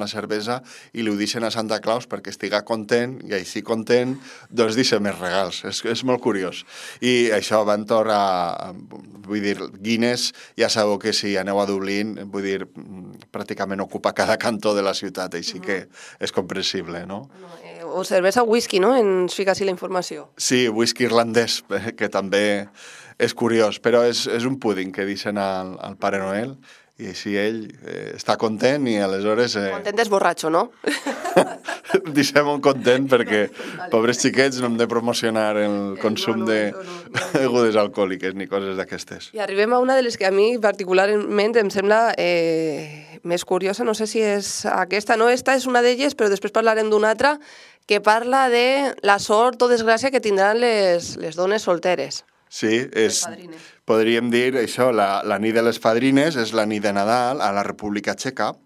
la cervesa i li ho deixen a Santa Claus perquè estiga content i així content doncs deixa més regals. És molt curiós. I això va entorn a... Vull dir, Guinness, ja sabeu que si aneu a Dublín, vull dir, pràcticament ocupa cada cantó de la ciutat, així que és comprensible, no? O cervesa o whisky, no? Ens fica així la informació. Sí, whisky irlandès, que també és curiós, però és un púding que deixen al Pare Noel i així ell està content i aleshores... Content és borratxo, no? Deixem-ho content perquè, pobres xiquets, no hem de promocionar el consum de begudes alcohòliques ni coses d'aquestes. I arribem a una de les que a mi particularment em sembla més curiosa, no sé si és aquesta, no, esta és una d'elles, però després parlarem d'una altra que parla de la sort o desgràcia que tindran les dones solteres. Sí, podríem dir això, la nit de les fadrines és la nit de Nadal a la República Txeca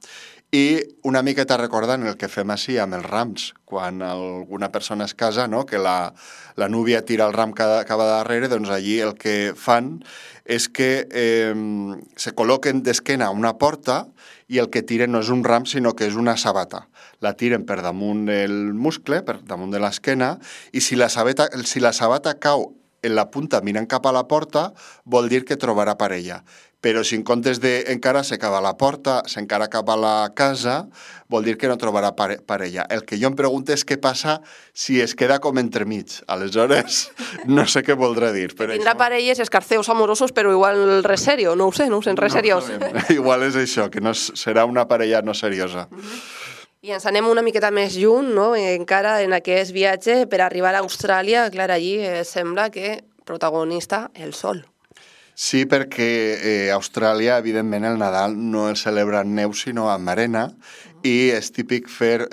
i una miqueta recordant el que fem així amb els rams, quan alguna persona es casa, no? Que la núvia tira el ram cap a darrere, doncs allí el que fan és que se col·loquen d'esquena a una porta i el que tiren no és un ram, sinó que és una sabata. La tiren per damunt del muscle, per damunt de l'esquena, i si la sabata cau en la punta mirant cap a la porta, vol dir que trobarà parella. Però si en comptes d'encara se acaba la porta, s'encara cap a la casa, vol dir que no trobarà parella. El que jo em pregunto és què passa si es queda com entremig. Aleshores, no sé què voldrà dir. Tindrà parelles, escarceos amorosos, però igual res serio, no ho sé, res seriós. Igual és això, que no serà una parella no seriosa. I ens anem una miqueta més lluny, no? Encara en aquest viatge per arribar a Austràlia, clar, allí sembla que protagonista el sol. Sí, perquè a Austràlia, evidentment, el Nadal no el celebra en neu, sinó amb arena, i és típic fer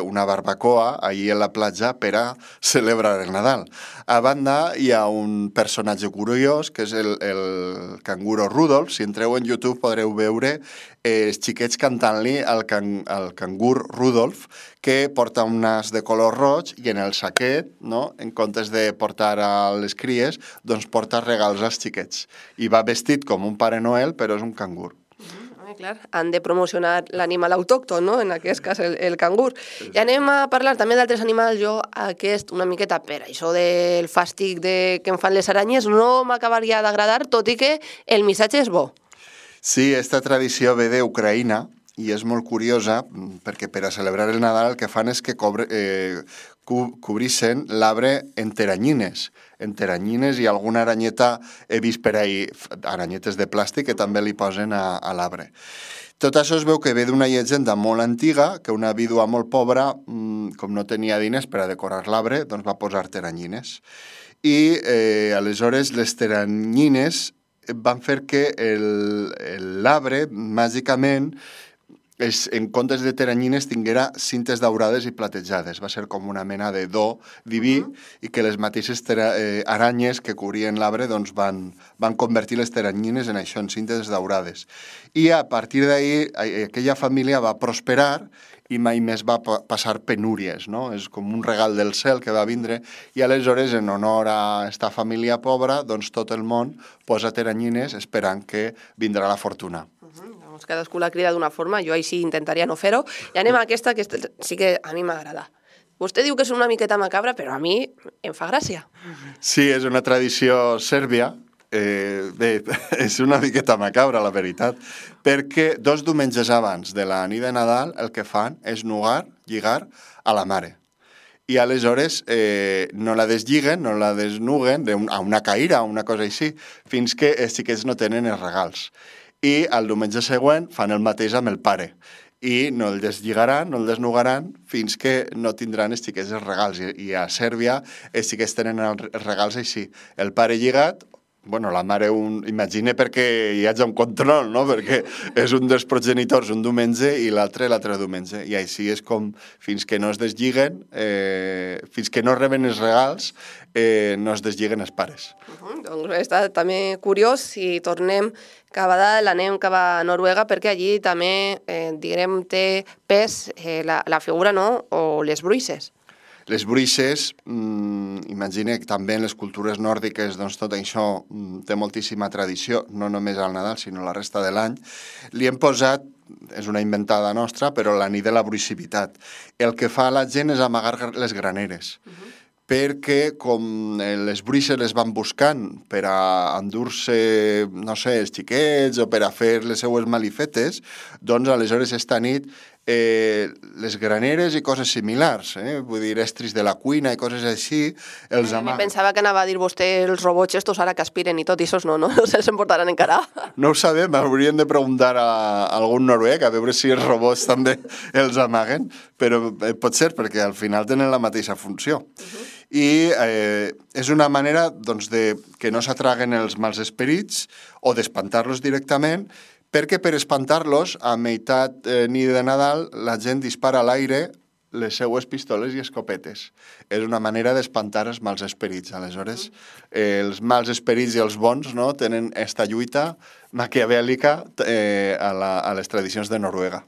una barbacoa allí a la platja per a celebrar el Nadal. A banda, hi ha un personatge curiós, que és el canguro Rudolf. Si entreu en YouTube podreu veure els xiquets cantant-li al cangur Rudolf, que porta un nas de color roig i en el saquet, no, en comptes de portar a les cries, doncs porta regals als xiquets. I va vestit com un Pare Noel, però és un cangur. Clar, han de promocionar l'animal autòcton, no? En aquest cas el cangur. I anem a parlar també d'altres animals. Jo aquest una miqueta per això del fàstic que em fan les aranyes no m'acabaria d'agradar, tot i que el missatge és bo. Sí, esta tradició ve d'Ucraïna i és molt curiosa perquè per a celebrar el Nadal el que fan és que cobreixen l'arbre en teranyines i alguna aranyeta he vist per ahí, aranyetes de plàstic que també li posen a l'arbre. Tot això es veu que ve d'una llegenda molt antiga, que una vídua molt pobra, com no tenia diners per a decorar l'arbre, doncs va posar teranyines. I aleshores les teranyines van fer que l'arbre, màgicament, en comptes de teranyines tinguera cintes daurades i platejades. Va ser com una mena de do diví i que les mateixes aranyes que cobrien l'arbre doncs van convertir les teranyines en això, en cintes daurades. I a partir d'ahir aquella família va prosperar i mai més va passar penúries, no? És com un regal del cel que va vindre i aleshores, en honor a esta família pobra, doncs tot el món posa teranyines esperant que vindrà la fortuna. Cadascú la crida d'una forma, jo així intentaria no fer-ho. I anem a aquesta, que sí que a mi m'agrada. Vostè diu que és una miqueta macabra, però a mi em fa gràcia. Sí, és una tradició sèrbia. És una miqueta macabra, la veritat, perquè 2 diumenges abans de la nit de Nadal el que fan és lligar a la mare. I aleshores no la deslliguen, no la desnuguen a una caïra o una cosa així, fins que els xiquets no tenen els regals. I el diumenge següent fan el mateix amb el pare. I no el deslligaran, no el desnugaran, fins que no tindran els xiquets els regals. I a Sèrbia els xiquets tenen els regals així. El pare lligat, la mare imagina perquè hi hagi un control, no? Perquè és un dels progenitors un diumenge i l'altre diumenge. I així és com, fins que no es deslliguen, fins que no reben els regals, no es deslliguen els pares. Doncs està també curiós, si tornem cap a dalt, anem cap a Noruega, perquè allí també, diguem, té pes la figura, no?, o les bruixes. Les bruixes, imagina que també en les cultures nòrdiques doncs tot això té moltíssima tradició, no només al Nadal, sinó la resta de l'any. Li hem posat és una inventada nostra, però la nit de la bruixivitat. El que fa la gent és amagar les graneres, perquè com les bruixes les van buscant per a endur-se, no sé, els xiquets o per a fer les seues malifetes, doncs aleshores esta nit les graneres i coses similars, vull dir, estris de la cuina i coses així, els amaguen. Pensava que anava a dir vostè els robots estos ara que aspiren i tot, i esos no se'ls emportaran encara. No ho sabem, hauríem de preguntar a algun noruec a veure si els robots també els amaguen, però pot ser perquè al final tenen la mateixa funció. I és una manera doncs, de que no s'atraguen els mals esperits o d'espantar-los directament, perquè per espantar-los, a meitat nit de Nadal, la gent dispara a l'aire les seues pistoles i escopetes. És una manera d'espantar els mals esperits. Aleshores, els mals esperits i els bons tenen esta lluita maquiavèlica a les tradicions de Noruega.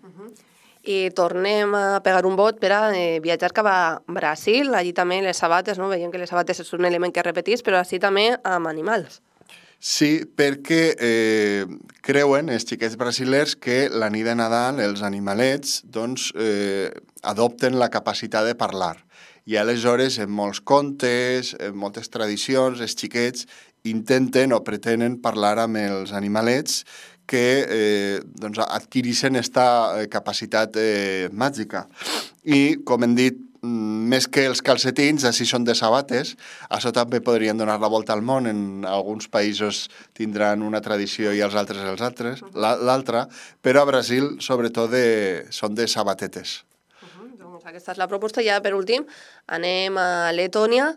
I tornem a pegar un bot per a viatjar cap a Brasil. Allí també les sabates, veiem que les sabates és un element que repetís, però així també amb animals. Sí, perquè creuen els xiquets brasilers que la nit de Nadal els animalets adopten la capacitat de parlar. I aleshores en molts contes, en moltes tradicions, els xiquets intenten o pretenen parlar amb els animalets que adquireixen aquesta capacitat màgica. I, com hem dit, més que els calcetins, així són de sabates. Això també podrien donar la volta al món. En alguns països tindran una tradició i els altres l'altra, però a Brasil, sobretot, són de sabatetes. Doncs aquesta és la proposta. Ja, per últim, anem a Letònia,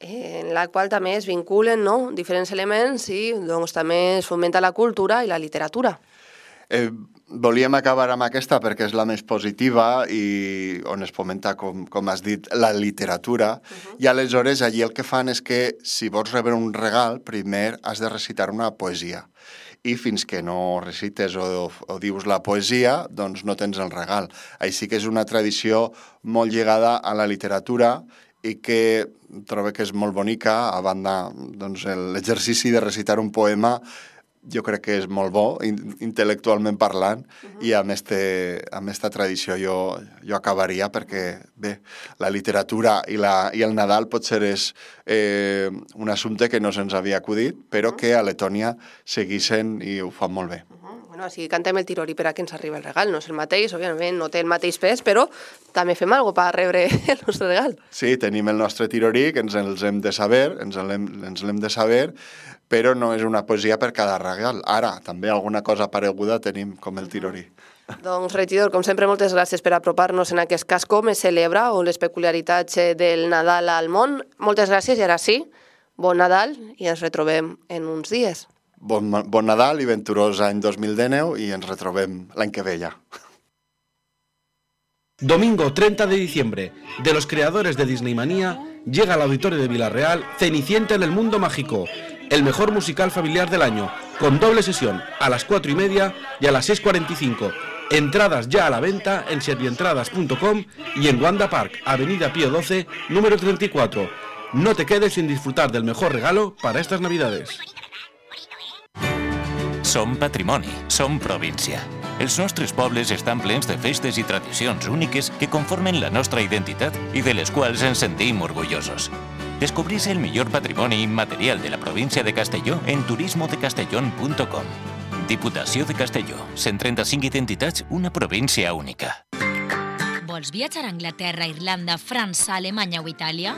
en la qual també es vinculen diferents elements i també es fomenta la cultura i la literatura. Volíem acabar amb aquesta perquè és la més positiva i on es fomenta, com has dit, la literatura. I aleshores allí el que fan és que si vols rebre un regal, primer has de recitar una poesia. I fins que no recites o dius la poesia, doncs no tens el regal. Així que és una tradició molt lligada a la literatura i que trobo que és molt bonica. A banda, l'exercici de recitar un poema jo crec que és molt bo, intel·lectualment parlant, i amb esta tradició jo acabaria perquè, bé, la literatura i el Nadal potser és un assumpte que no se'ns havia acudit, però que a Letònia segueixen i ho fan molt bé. Bueno, així cantem el tirori per a que ens arribi el regal. No és el mateix, òbviament, no té el mateix pes, però també fem alguna cosa per rebre el nostre regal. Sí, tenim el nostre tirori, que ens l'hem de saber, però no és una poesia per cada regal. Ara, també alguna cosa pareguda tenim, com el tirori. Doncs, regidor, com sempre, moltes gràcies per apropar-nos en aquest cas com es celebra o les peculiaritats del Nadal al món. Moltes gràcies i ara sí, bon Nadal i ens retrobem en uns dies. Bon Nadal i venturós any 2019 y ens retrobem l'any que ve ya. Domingo 30 de diciembre, de los creadores de Disney Manía, llega al Auditorio de Villarreal Cenicienta en el Mundo Mágico, el mejor musical familiar del año, con doble sesión a las 4:30 y a las 6:45. Entradas ya a la venta en servientradas.com y en Wanda Park, Avenida Pío XII, número 34. No te quedes sin disfrutar del mejor regalo para estas Navidades. Som patrimoni, som província. Els nostres pobles estan plens de festes i tradicions úniques que conformen la nostra identitat i de les quals ens sentim orgullosos. Descobrís el millor patrimoni immaterial de la província de Castelló en turismodecastellón.com. Diputació de Castelló, 135 identitats, una província única. Vols viatjar a Anglaterra, Irlanda, França, Alemanya o Itàlia?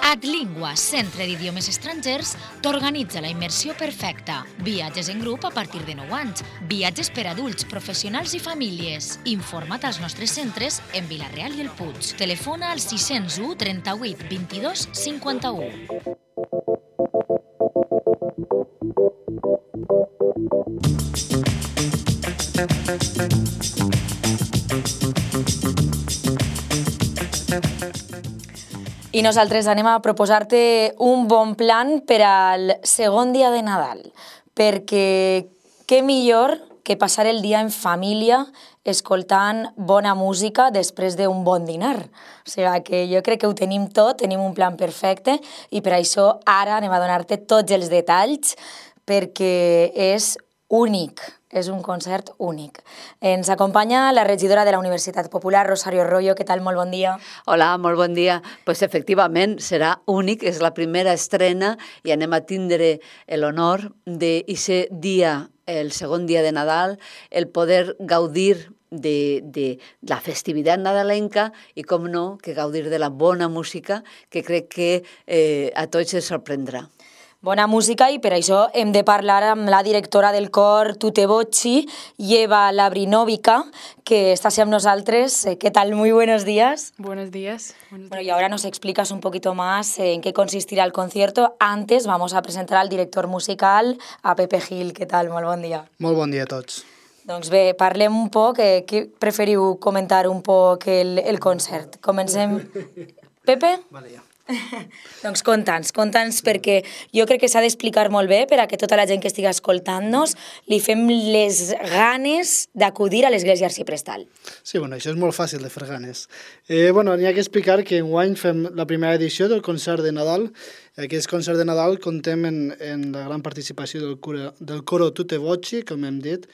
Adlingua, centre d'idiomes estrangers, t'organitza la immersió perfecta. Viatges en grup a partir de 9 anys. Viatges per adults, professionals i famílies. Informa't als nostres centres en Vila-real i el Puig. Telefona al 601 38 22 51. I nosaltres anem a proposar-te un bon plan per al segon dia de Nadal, perquè què millor que passar el dia en família escoltant bona música després d'un bon dinar. O sigui que jo crec que ho tenim tot, tenim un plan perfecte i per això ara anem a donar-te tots els detalls perquè és únic, és un concert únic. Ens acompanya la regidora de la Universitat Popular, Rosario Royo. Què tal? Molt bon dia. Hola, molt bon dia. Pues efectivament serà únic, és la primera estrena i anem a tindre l'honor d'aquest dia, el segon dia de Nadal, el poder gaudir de la festivitat nadalenca i, com no, que gaudir de la bona música, que crec que a tots ens sorprendrà. Bona música, i per això hem de parlar amb la directora del cor Tute Voci, Eva Labrinovica, que está amb nosaltres. ¿Qué tal? Muy buenos días. Buenos días. Bueno, y ahora nos explicas un poquito más en qué consistirá el concierto. Antes vamos a presentar al director musical, a Pepe Gil. ¿Qué tal? Molt bon dia. Molt bon dia a tots. Doncs bé, parlem un poc, què preferiu comentar un poc el concert? Comencem... Pepe? Vale, ja. Doncs conta'ns, perquè jo crec que s'ha d'explicar molt bé per a que tota la gent que estigui escoltant-nos li fem les ganes d'acudir a l'església arciprestal. Sí, bueno, això és molt fàcil de fer ganes. N'hi ha que explicar que enguany fem la primera edició del concert de Nadal. Aquest concert de Nadal contem en la gran participació del coro Tute Voci, com hem dit.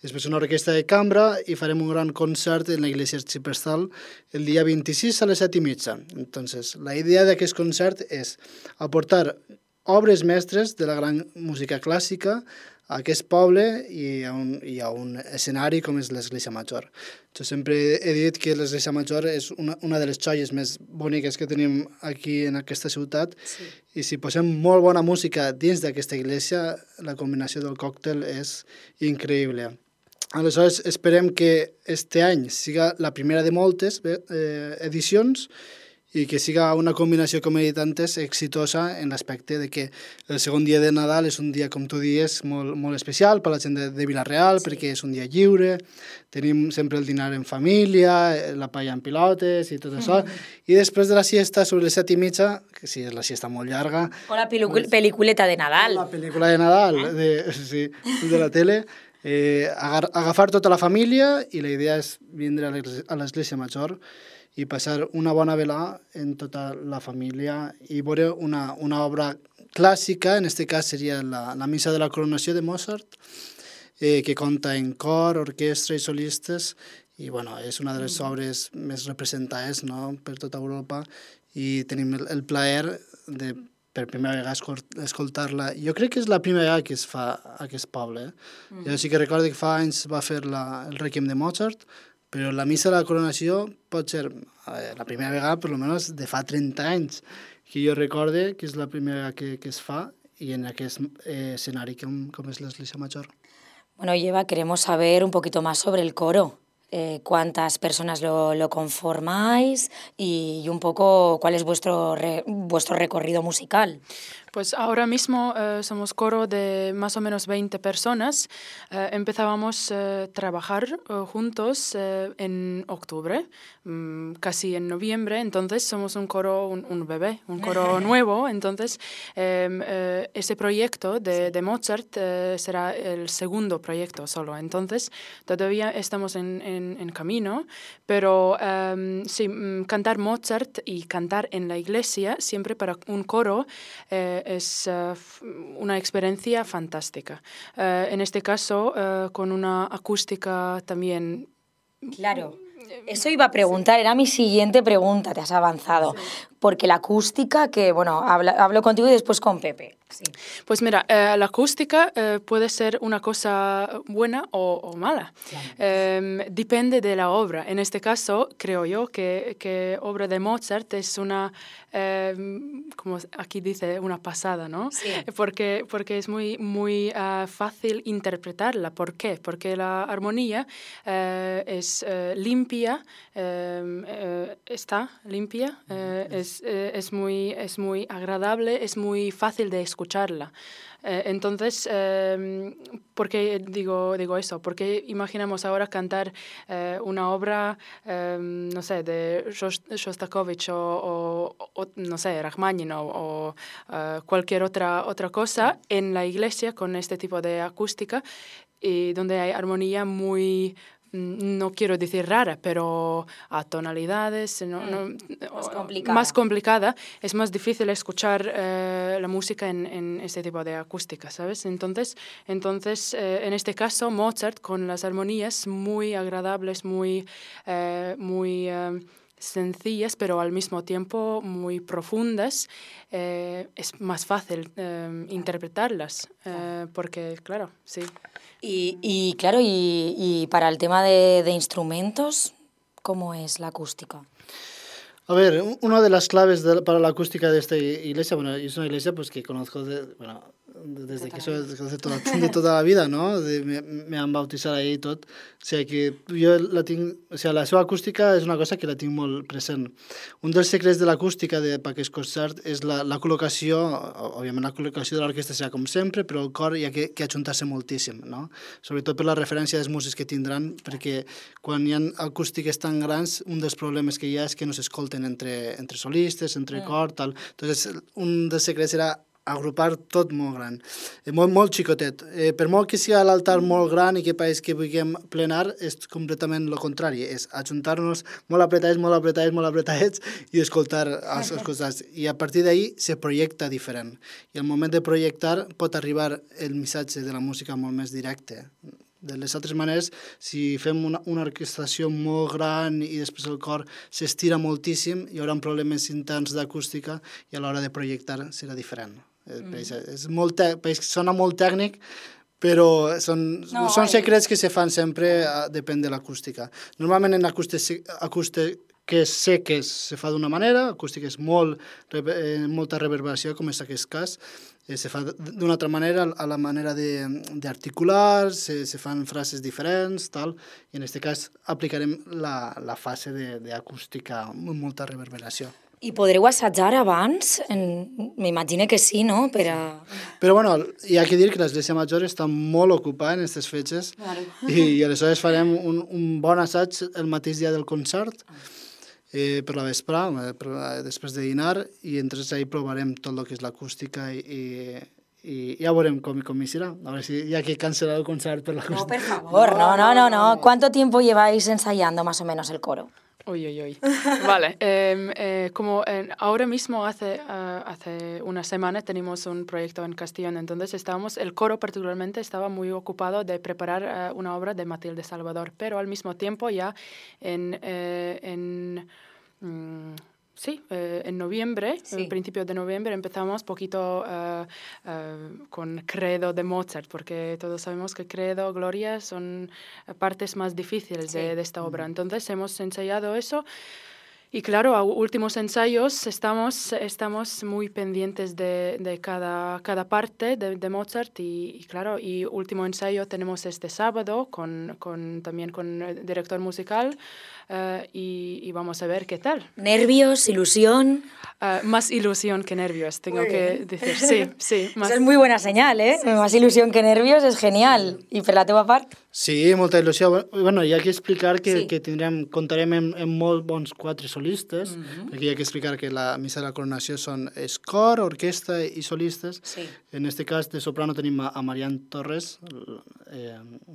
Després una orquestra de cambra i farem un gran concert en l'església arciprestal el dia 26 a les 7:30. Entonces, la idea d'aquest concert és aportar obres mestres de la gran música clàssica a aquest poble i a un escenari com és l'església major. Jo sempre he dit que l'església major és una de les joies més boniques que tenim aquí en aquesta ciutat, sí. I si posem molt bona música dins d'aquesta església, la combinació del còctel és increïble. Aleshores, esperem que este any siga la primera de moltes edicions i que siga una combinació, com he dit antes, exitosa en l'aspecte de que el segon dia de Nadal és un dia, com tu dius, molt especial per a la gent de Vila-real, sí. Perquè és un dia lliure, tenim sempre el dinar en família, la paella en pilotes i tot això, i després de la siesta, sobre les 7:30, que sí, és la siesta molt llarga... O la pel·lículeta de Nadal. La pel·lícula de Nadal, de la tele, agafar tota la família, i la idea és vindre a l'església major i passar una bona velada en tota la família i veure una obra clàssica, en aquest cas seria la missa de la coronació de Mozart, que compta en cor, orquestra i solistes, i bueno, és una de les obres més representades, no?, per tota Europa, i tenim el plaer de per primera vegada escoltar-la. Jo crec que és la primera vegada que es fa a aquest poble. Jo sí que recordo que fa anys va fer el Requiem de Mozart, però la missa de la coronació pot ser la primera vegada, per almenys, de fa 30 anys, que jo recorde que és la primera vegada que es fa i en aquest escenari com és l'església major. Bueno, Eva, queremos saber un poquito más sobre el coro. ¿Cuántas personas lo conformáis y un poco cuál es vuestro recorrido musical? Pues ahora mismo somos coro de más o menos 20 personas. Empezábamos a trabajar juntos en octubre, casi en noviembre. Entonces somos un coro, un bebé, un coro nuevo. Entonces ese proyecto de Mozart será el segundo proyecto solo. Entonces todavía estamos en camino, pero sí, cantar Mozart y cantar en la iglesia siempre para un coro es una experiencia fantástica. En este caso, con una acústica también... Claro, eso iba a preguntar, era mi siguiente pregunta, te has avanzado. Sí. Porque la acústica, que bueno, hablo contigo y después con Pepe. Sí. Pues mira, la acústica puede ser una cosa buena o mala. Claro. Depende de la obra. En este caso, creo yo que obra de Mozart es una, como aquí dice, una pasada, ¿no? Sí. Porque es muy fácil interpretarla. ¿Por qué? Porque la armonía es limpia, está limpia, es muy agradable, es muy fácil de escucharla. Entonces, ¿por qué digo eso? Porque imaginamos ahora cantar una obra, no sé, de Shostakovich o no sé, Rachmaninoff o cualquier otra cosa en la iglesia con este tipo de acústica y donde hay armonía muy no quiero decir rara, pero a tonalidades más complicada, es más difícil escuchar la música en este tipo de acústica, ¿sabes? Entonces, en este caso, Mozart, con las armonías muy agradables, muy sencillas, pero al mismo tiempo muy profundas, es más fácil interpretarlas, porque, claro, sí. Y claro, y para el tema de instrumentos, ¿cómo es la acústica? A ver, una de las claves para la acústica de esta iglesia, bueno, es una iglesia pues que conozco desde que soy de toda la vida, no? Me han bautizat ahí i tot. O sigui que jo la tinc... O sigui, la seva acústica és una cosa que la tinc molt present. Un dels secrets de l'acústica per aquest concert és la col·locació, òbviament la col·locació de l'orquestra serà com sempre, però el cor hi ha que ajuntar-se moltíssim, no? Sobretot per la referència dels músics que tindran, perquè quan hi ha acústiques tan grans, un dels problemes que hi ha és que no s'escolten entre solistes, entre cor, tal. Entonces, un dels secrets era agrupar tot molt gran, molt xicotet. Per molt que sigui l'altar molt gran i que pareix que vulguem plenar, és completament el contrari, és ajuntar-nos molt apretadets i escoltar els costats. I a partir d'ahí se projecta diferent. I al moment de projectar pot arribar el missatge de la música molt més directe. De les altres maneres, si fem una orquestració molt gran i després el cor s'estira moltíssim, hi haurà problemes interns d'acústica i a l'hora de projectar serà diferent. Sona molt tècnic, però són secrets que se fan sempre, depèn de l'acústica. Normalment en acústiques seques se fa d'una manera, acústiques molta reverberació, com és aquest cas, se fa d'una altra manera, a la manera d'articular, se fan frases diferents, tal, i en aquest cas aplicarem la fase d'acústica amb molta reverberació. I podreu assajar abans? M'imagino que sí, no? Però bueno, hi ha que dir que l'Església Major està molt ocupada en aquestes fetges i aleshores farem un bon assaig el mateix dia del concert per la vesprà, després de dinar, i entonces ahí provarem tot el que és l'acústica i ja veurem com hi serà. A veure si hi ha que cancel·lar el concert per l'acústica. No, per favor, no. ¿Cuánto tiempo lleváis ensayando más o menos el coro? Uy. Vale. Como ahora mismo hace una semana tenemos un proyecto en Castellón, entonces el coro particularmente estaba muy ocupado de preparar una obra de Matilde Salvador, pero al mismo tiempo ya en noviembre, en principio de noviembre, empezamos poquito con Credo de Mozart, porque todos sabemos que Credo, Gloria son partes más difíciles de esta obra. Entonces hemos ensayado eso. Y claro, a últimos ensayos estamos muy pendientes de cada parte de Mozart y claro, y último ensayo tenemos este sábado también con el director musical y vamos a ver qué tal. ¿Nervios, ilusión? Más ilusión que nervios, tengo que decir. Sí. Más. Esa es muy buena señal, ¿eh? Más ilusión que nervios es genial. I per la teva part? Sí, molta il·lusió. Bueno, hi ha que explicar que comptarem amb molt bons 4 solistes, perquè hi ha que explicar que la missa de la coronació és cor, orquestra i solistes. En aquest cas, de soprano tenim a Marian Torres,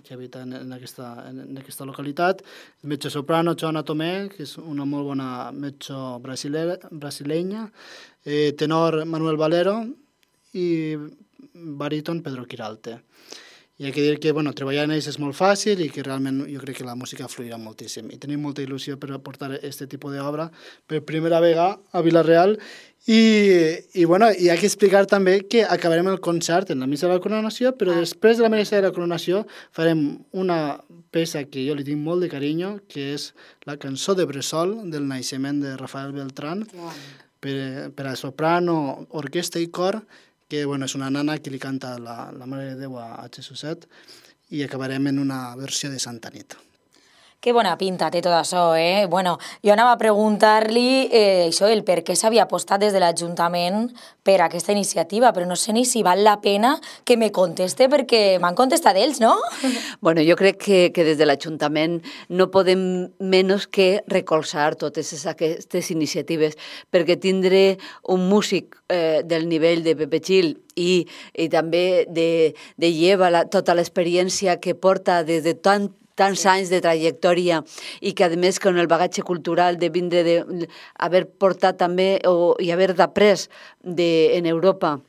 que habita en aquesta localitat, metge soprano Joana Tomé, que és una molt bona metge brasilenya, tenor Manuel Valero i baríton Pedro Quiralte. I ha que dir que treballar en ells és molt fàcil i que realment jo crec que la música fluirà moltíssim. I tenim molta il·lusió per aportar aquest tipus d'obra per primera vegada a Vila-real. I ha que explicar també que acabarem el concert en la missa de la coronació, però després de la missa de la coronació farem una peça que jo li tinc molt de carinyo, que és la cançó de Bressol del naixement de Rafael Beltrán, per a soprano, orquestra i cor, que és una nana que li canta la Mare de Déu a Jesuset, i acabarem en una versió de Santa Nit. Que bona pinta té tot això, eh? Bueno, jo anava a preguntar-li el per què s'havia apostat des de l'Ajuntament per aquesta iniciativa, però no sé ni si val la pena que me conteste perquè m'han contestat ells, no? Bueno, jo crec que des de l'Ajuntament no podem menys que recolzar totes aquestes iniciatives, perquè tindre un músic del nivell de Pepe Gil i també de lleva tota l'experiència que porta des de tant tants anys de trajectòria i que, a més, con el bagatge cultural de vindre haver portat també i haver d'après en Europa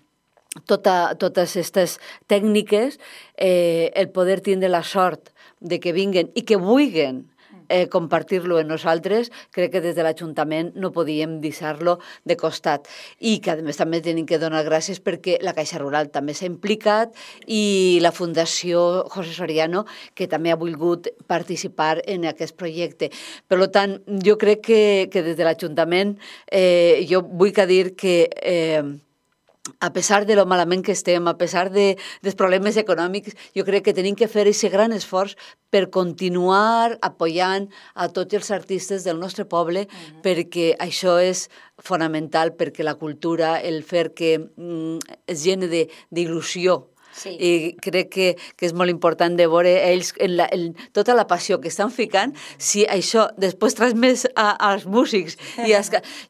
totes aquestes tècniques, el poder tindre la sort de que vinguen i que vulguin compartir-lo amb nosaltres, crec que des de l'Ajuntament no podíem deixar-lo de costat. I que, a més, també tenim que donar gràcies perquè la Caixa Rural també s'ha implicat i la Fundació José Soriano, que també ha volgut participar en aquest projecte. Per tant, jo crec que des de l'Ajuntament jo vull dir que a pesar de lo malament que estem, a pesar dels problemes econòmics, jo crec que tenim que fer aquest gran esforç per continuar apoyant a tots els artistes del nostre poble, perquè això és fonamental, perquè la cultura, el fer que es llene d'il·lusió, sí. I crec que és molt important de veure ells tota la passió que estan ficant, si això després transmès als músics.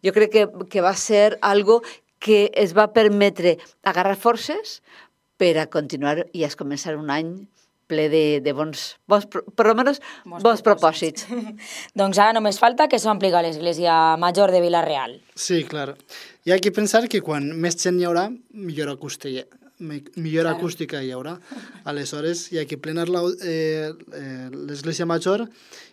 Jo crec que va ser algo que es va permetre agarrar forces per a continuar i a començar un any ple de bons propòsits. Doncs ara només falta que s'ompli l'església major de Vila-real. Sí, clar. Hi ha que pensar que quan més gent hi haurà, millor acústica hi haurà. Aleshores, hi ha que plenar l'església major.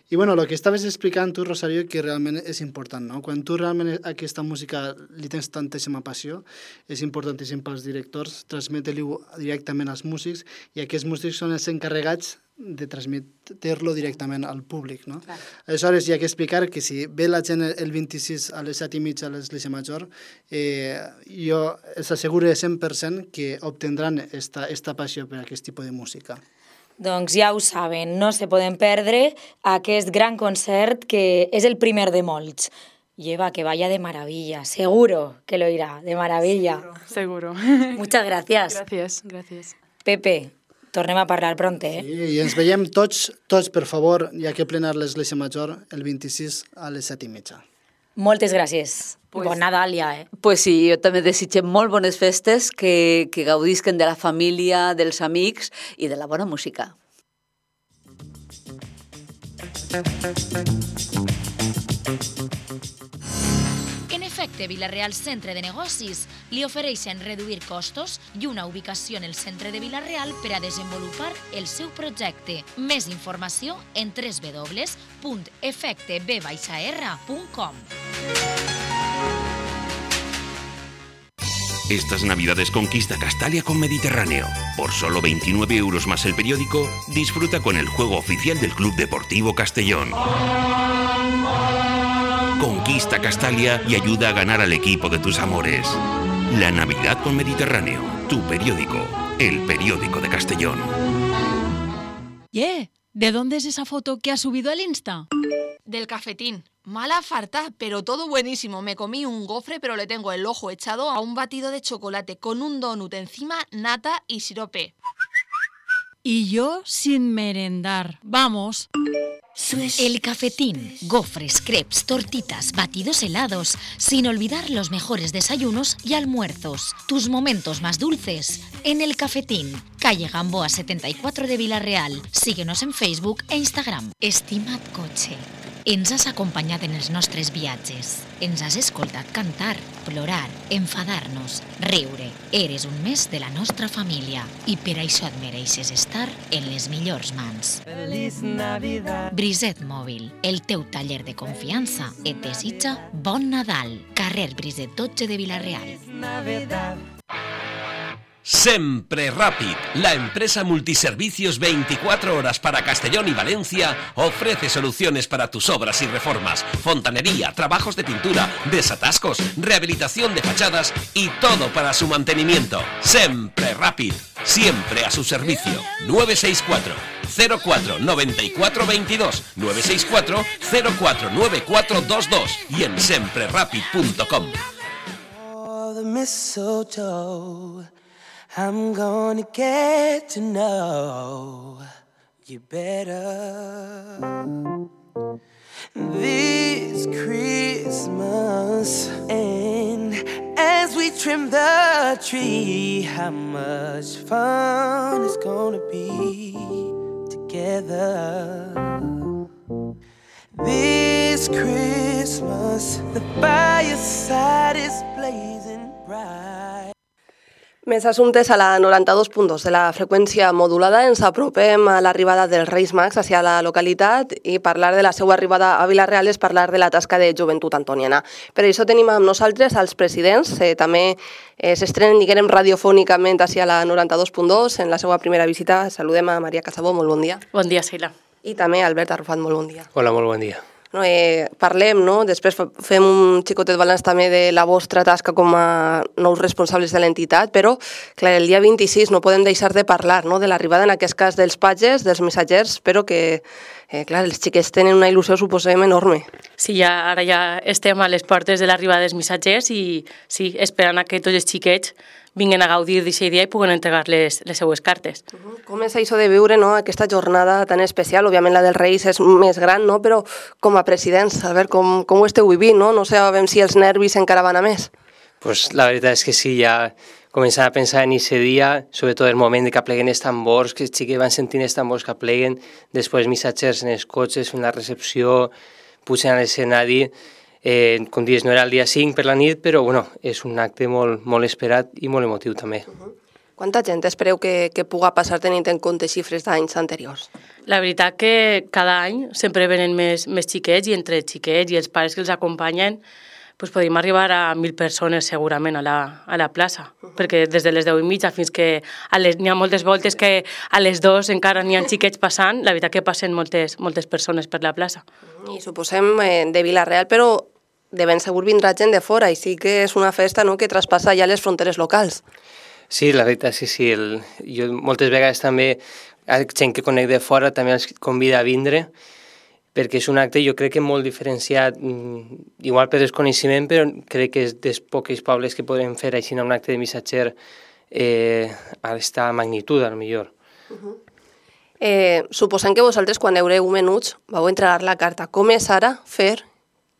I bueno, el que estaves explicant tu, Rosario, que realment és important, no? Quan tu realment aquesta música li tens tantíssima passió, és importantíssim pels directors transmetre-li-ho directament als músics, i aquests músics són els encarregats de transmetre-lo directament al públic, no? Clar. Aleshores, hi ha que explicar que si ve la gent el 26 a les 7:30 a l'església major, jo els asseguro 100% que obtindran esta passió per aquest tipus de música. Doncs ja ho saben, no se poden perdre aquest gran concert que és el primer de molts. Lleva, que vaya de maravilla, seguro que lo irá, de maravilla. Seguro. Muchas gracias. Gracias. Pepe, tornem a parlar pront, eh? Sí, i ens veiem tots, per favor, ja que plenar l'església major el 26 a les 7:30. Moltes gràcies. Bon Nadal ja, eh? Pues sí, jo també desitgem molt bones festes, que gaudisquen de la família, dels amics i de la bona música. En efecte, Vila-real Centre de Negocis li ofereixen reduir costos i una ubicació en el centre de Vila-real per a desenvolupar el seu projecte. Més informació en www.efecteb-r.com. Estas Navidades conquista Castalia con Mediterráneo. Por solo 29 euros más el periódico, disfruta con el juego oficial del Club Deportivo Castellón. Conquista Castalia y ayuda a ganar al equipo de tus amores. La Navidad con Mediterráneo, tu periódico, el periódico de Castellón. ¿De dónde es esa foto que has subido al Insta? Del cafetín. Mala farta, pero todo buenísimo. Me comí un gofre, pero le tengo el ojo echado a un batido de chocolate con un donut encima, nata y sirope. Y yo sin merendar. Vamos. El cafetín, gofres, crepes, tortitas, batidos helados, sin olvidar los mejores desayunos y almuerzos. Tus momentos más dulces en El Cafetín, calle Gamboa 74 de Vila-real. Síguenos en Facebook e Instagram. Estimat cotxe, ens has acompanyat en els nostres viatges. Ens has escoltat cantar, plorar, enfadar-nos, riure. Eres un més de la nostra família i per això et mereixes estar en les millors mans. Feliç Navidad. Briset Mòbil, el teu taller de confiança, et desitja bon Nadal. Carrer Briset 12 de Vila-real. Sempre Rápid, la empresa multiservicios 24 horas para Castellón y Valencia, ofrece soluciones para tus obras y reformas, fontanería, trabajos de pintura, desatascos, rehabilitación de fachadas y todo para su mantenimiento. Sempre Rápid, siempre a su servicio. 964 04 94 22 964 04 9422 y en semprerapid.com. I'm gonna get to know you better this Christmas. And as we trim the tree, how much fun it's gonna be together. together. This Christmas, the fireside is blazing bright. Més assumptes a la 92.2 de la freqüència modulada. Ens apropem a l'arribada dels Reis Mags hacia la localitat i parlar de la seva arribada a Vila-real és parlar de la tasca de Joventut Antoniana. Per això tenim amb nosaltres els presidents. També s'estrenen, diguem, radiofònicament hacia la 92.2 en la seva primera visita. Saludem a Maria Casabó, molt bon dia. Bon dia, Sheila. I també Albert Arrufat, molt bon dia. Hola, molt bon dia. No, parlem, no? Després fem un xicotet balanç també de la vostra tasca com a nous responsables de l'entitat, però clar, el dia 26 no podem deixar de parlar, no? De l'arribada en aquest cas dels patges, dels missatgers, però que clar, els xiquets tenen una il·lusió, suposem, enorme. Sí, ara ja estem a les portes de l'arribada dels missatgers i sí, esperant a que tots els xiquets vinguin a gaudir d'aquest dia i puguen entregar les seues cartes. Com és això de viure, no, aquesta jornada tan especial? Òbviament la dels Reis és més gran, no? Però com a presidents, a veure com ho esteu vivint, no? No sabem si els nervis encara van a més. Pues la veritat és que sí, ja començant a pensar en aquest dia, sobretot el moment de que apleguen els tambors, que els xiquets van sentint els tambors que apleguen, després missatgers en els cotxes, fent la recepció, pugen a l'escenari. Com dius, no era el dia 5 per la nit, però bueno, és un acte molt esperat i molt emotiu també. Quanta gent espereu que puga passar tenint en compte xifres d'anys anteriors? La veritat que cada any sempre venen més xiquets i entre els xiquets i els pares que els acompanyen pues podríem arribar a 1.000 persones segurament a la plaça, perquè des de les 10:30 fins que n'hi ha moltes voltes que a les 2 encara n'hi ha xiquets passant, la veritat que passen moltes persones per la plaça. I suposem de Vila-real, però de ben segur vindrà gent de fora i sí que és una festa, no?, que traspassa ja les fronteres locals. Sí, la veritat és que sí. Jo moltes vegades també, gent que conec de fora també els convida a vindre, perquè és un acte jo crec que molt diferenciat, igual per desconeixement, però crec que és dels pocs pobles que podem fer així un acte de missatger a aquesta magnitud, a lo millor. Suposant que vosaltres, quan eureu menuts, vau entregar la carta. Com és ara fer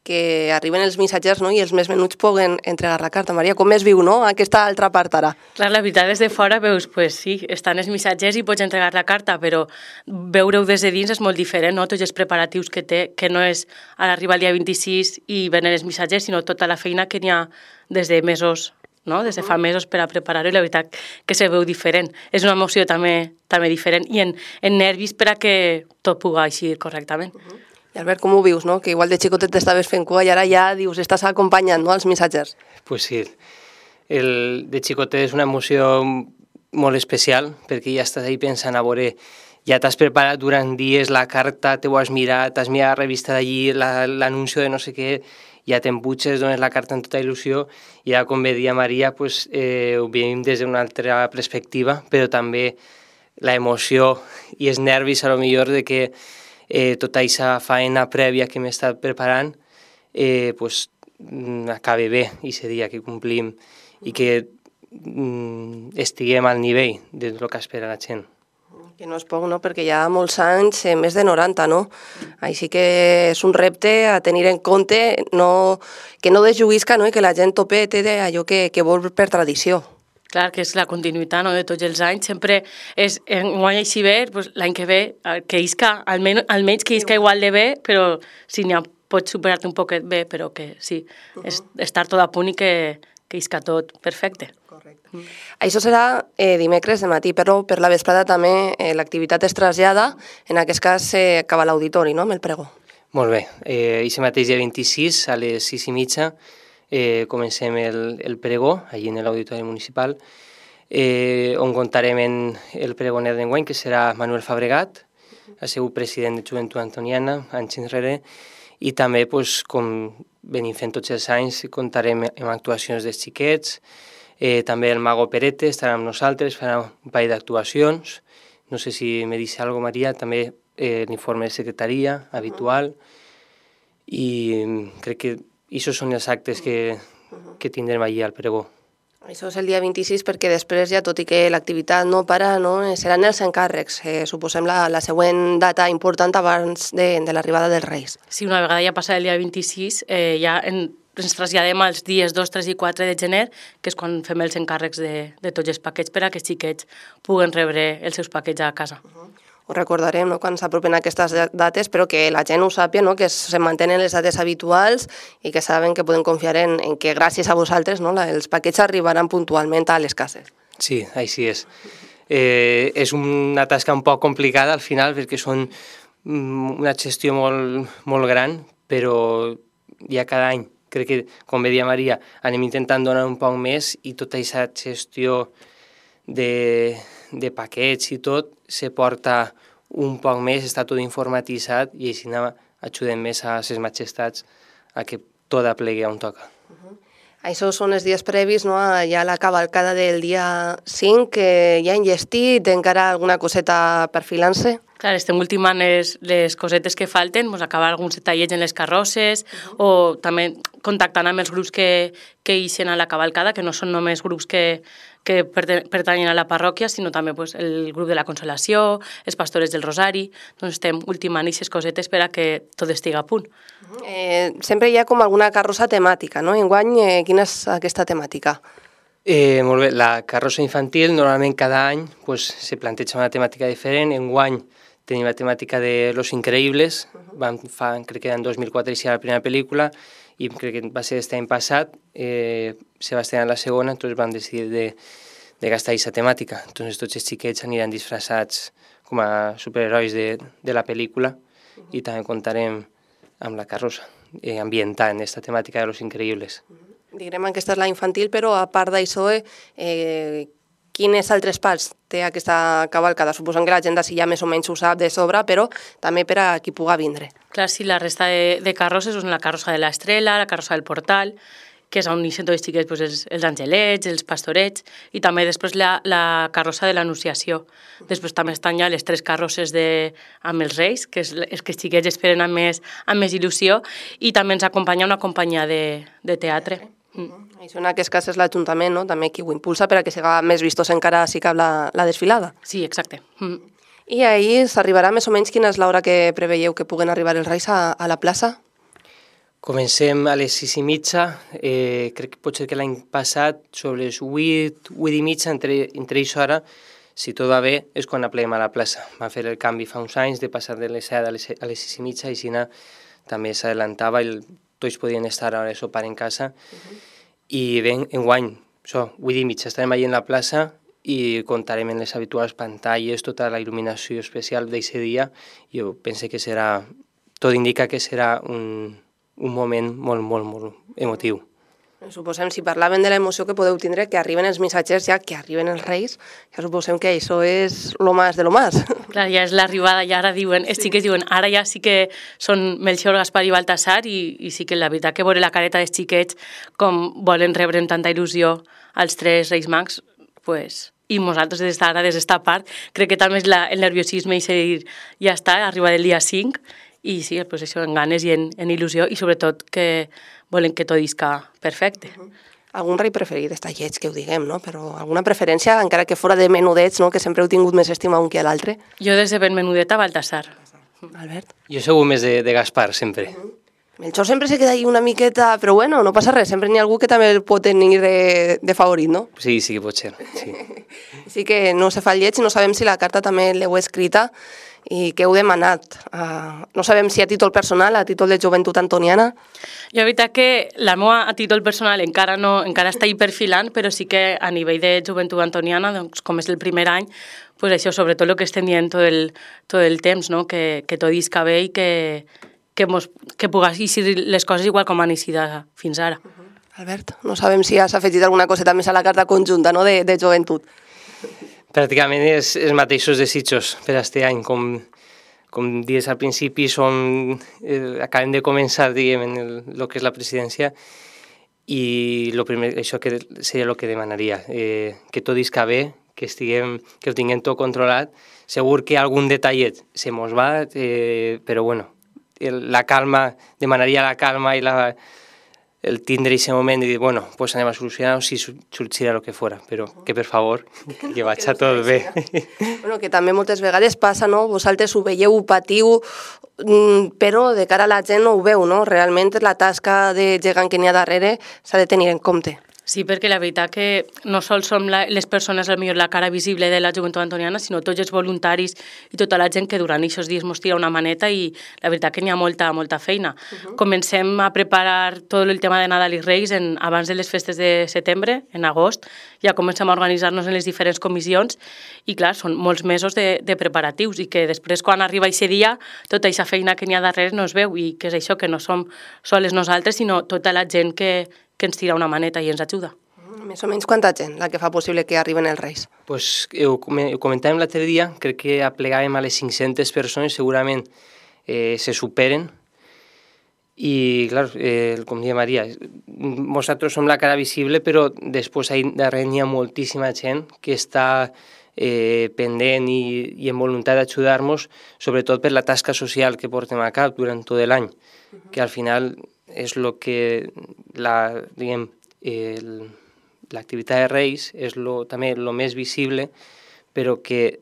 que arriben els missatgers, no?, i els més menuts puguen entregar la carta? Maria, com es viu, no?, aquesta altra part ara? Clar, la veritat, des de fora veus, pues sí, estan els missatgers i pots entregar la carta, però veure-ho des de dins és molt diferent, no?, tots els preparatius que té, que no és a l'arribar el dia 26 i venen els missatgers, sinó tota la feina que n'hi ha des de mesos, no?, des de fa mesos per a preparar-ho, i la veritat que se veu diferent. És una emoció també diferent i en nervis per a que tot pugui eixir correctament. I Albert, com ho vius, no? Que igual de xicotet t'estaves fent cua i ara ja dius, estàs acompanyant, no?, els missatgers. Pues sí, de xicotet és una emoció molt especial, perquè ja estàs ahí pensant a veure, ja t'has preparat durant dies la carta, te ho has mirat la revista d'allí, l'anuncio de no sé què, ja t'embutxes, dones la carta amb tota il·lusió, i ja, com bé dia Maria, pues, ho veiem des d'una altra perspectiva, però també la emoció i els nervis, a lo millor, de que tota aquesta feina prèvia que m'he estat preparant acabi bé aquest dia que complim i que estiguem al nivell del que espera la gent. Que no és poc, no?, perquè hi ha molts anys, més de 90, no? Així que és un repte a tenir en compte, que no desjuguisca, no?, i que la gent tope té allò que vol per tradició. Clar, que és la continuïtat, no?, de tots els anys. Sempre és, enguany així bé, pues, l'any que ve, que isca, almenys que isca igual de bé, però si n'hi ha, pots superar-te un poquet bé, però que sí, és estar tot a punt i que isca tot perfecte. Correcte. Això serà dimecres de matí, però per la vesprada també l'activitat es trasllada, en aquest cas acaba l'auditori, no?, amb el pregó. Molt bé. Aquest mateix dia 26, a les 6:30, comencem el pregó, allí en l'auditori municipal, on comptarem el pregoner d'enguany, que serà Manuel Fabregat, ha sigut president de Joventut Antoniana, anys enrere, i també, com venim fent tots els anys, comptarem amb actuacions dels xiquets, també el Mago Perete estarà amb nosaltres, farà un parell d'actuacions, no sé si me dice algo Maria, també l'informe de secretaria habitual, i crec que això són els actes que tindrem allí al pregó. Això és el dia 26 perquè després ja, tot i que l'activitat no para, no, seran els encàrrecs. Suposem la següent data important abans de l'arribada dels Reis. Sí, una vegada ja passat el dia 26, ja ens traslladem als dies 2, 3 i 4 de gener, que és quan fem els encàrrecs de tots els paquets per a que els xiquets puguen rebre els seus paquets a casa. ho recordarem, no?, quan s'apropen aquestes dates, però que la gent ho sàpia, no?, que se mantenen les dates habituals i que saben que poden confiar en que gràcies a vosaltres, no?, els paquets arribaran puntualment a les cases. Sí, així és. És una tasca un poc complicada al final perquè són una gestió molt gran, però ja cada any, crec que, com bé dia Maria, anem intentant donar un poc més i tota aquesta gestió de paquets i tot se porta un poc més, està tot informatitzat i així ajudem més a les majestats a que tot aplegui on toca. Això són els dies previs, no?, ja la cavalcada del dia 5, que ja han llestit, encara alguna coseta perfilant-se? Clar, estem ultimant les cosetes que falten, acabar alguns detallets en les carrosses o també contactant amb els grups que ixen a la cavalcada, que no són només grups que pertanyen a la parròquia, sinó també el grup de la Consolació, els pastores del Rosari. Doncs estem ultimant aquestes cosetes per a que tot estigui a punt. Sempre hi ha com alguna carrossa temàtica, no? Enguany, quina és aquesta temàtica? Molt bé, la carrossa infantil normalment cada any se planteja una temàtica diferent. Enguany tenim la temàtica de Los Increïbles, crec que en 2004 era la primera pel·lícula i crec que va ser aquest any passat, se va estrenar la segona, doncs vam decidir de gastar aquesta temàtica. Doncs tots els xiquets aniran disfressats com a superherois de la pel·lícula i també contarem amb la carrossa, ambientant aquesta temàtica de Los Increïbles. Diguem que aquesta és la infantil, però a part d'això, quines altres parts té aquesta cavalcada? Suposem que la gent d'ací ja més o menys ho sap de sobre, però també per a qui pugui vindre. Clar, sí, la resta de carrosses són la carrossa de l'Estrela, la carrossa del Portal, que és on ixen tots els xiquets, els angelets, els pastorets, i també després la carrossa de l'Anunciació. Després també estan ja les 3 carrosses amb els Reis, que és els que els xiquets esperen amb més il·lusió, i també ens acompanya una companyia de teatre. Això en aquest cas és l'Ajuntament, no?, també qui ho impulsa per a que siga més vistós encara si cap la desfilada. Sí, exacte. I ahir s'arribarà més o menys quina és l'hora que preveieu que puguen arribar els Reis a la plaça? Comencem a les 6:30, crec que pot ser que l'any passat, sobre les 8:30, entre aquesta hora, si tot va bé, és quan apleguem a la plaça. Va fer el canvi fa uns anys de passar de les 7 a les 6:30 i així també s'adelantava i tots podien estar a l'hora de sopar en casa. I bé, enguany, 8:30 estarem allà en la plaça i comptarem en les habituals pantalles, tota la il·luminació especial d'aquest dia. Jo penso que serà, tot indica que serà un moment molt emotiu. Suposem, si parlàvem de l'emoció que podeu tindre, que arriben els missatgers ja, que arriben els Reis, ja suposem que això és lo más de lo más. Clar, ja és l'arribada, ja ara diuen, els xiquets diuen, ara ja sí que són Melchior, Gaspar i Baltasar i sí que la veritat que veure la careta dels xiquets com volen rebre amb tanta il·lusió als 3 Reis Mags, i nosaltres des d'esta part, crec que també és el nerviosisme i dir, ja està, arriba el dia 5, i sí, això en ganes i en il·lusió i sobretot que volen que tot isca perfecte. Algun rei preferit? Està lleig que ho diguem, no? Però alguna preferència, encara que fora de menudets, no?, que sempre heu tingut més estima un que a l'altre? Jo des de ben menudeta, Baltasar. Albert? Jo segur més de Gaspar, sempre. Melchor sempre se queda ahí una miqueta, però bueno, no passa res, sempre n'hi ha algú que també el pot tenir de favorit, no? Sí que pot ser, sí. Sí que no se fa el lleig i no sabem si la carta també l'heu escrita i què heu demanat. No sabem si a títol personal, a títol de joventut antoniana. Jo, la veritat que la meva a títol personal encara està hi perfilant, però sí que a nivell de joventut antoniana, doncs, com és el primer any, pues això, sobretot el que estem dient tot el temps, no? Que tot isca bé i que puguin ser les coses igual com han eixit fins ara. Albert, no sabem si has afegit alguna coseta més a la carta conjunta, no?, de joventut. Pràcticament els mateixos desitjos per aquest any, com dius al principi, acabem de començar, diguem, en el que és la presidència i això seria el que demanaria, que tot isca bé, que ho tinguem tot controlat. Segur que algun detallet se mos va, però bueno, la calma, demanaria la calma i el tindre aquest moment i dir, bueno, pues anem a solucionar-ho si sortirà el que fora, però que per favor, que vaig a tot bé. Bueno, que també moltes vegades passa, no? Vosaltres ho veieu, ho patiu, però de cara a la gent no ho veu, no? Realment la tasca de gegant que n'hi ha darrere s'ha de tenir en compte. Sí, perquè la veritat que no sols som les persones, potser la cara visible de la joventut antoniana, sinó tots els voluntaris i tota la gent que durant aquests dies mos tira una maneta i la veritat que n'hi ha molta feina. Comencem a preparar tot el tema de Nadal i Reis abans de les festes de setembre, en agost, ja comencem a organitzar-nos en les diferents comissions i clar, són molts mesos de preparatius i que després quan arriba aquest dia tota aquesta feina que n'hi ha darrere no es veu i que és això, que no som soles nosaltres, sinó tota la gent que ens tira una maneta i ens ajuda. Més o menys quanta gent la que fa possible que arriben els Reis? Pues ho comentàvem l'altre dia, crec que aplegàvem a les 500 persones, segurament se superen. I, clar, com deia Maria, nosaltres som la cara visible, però després darrere hi ha moltíssima gent que està pendent i en voluntat d'ajudar-nos, sobretot per la tasca social que portem a cap durant tot l'any, que al final és el que l'activitat de Reis és també el més visible, però que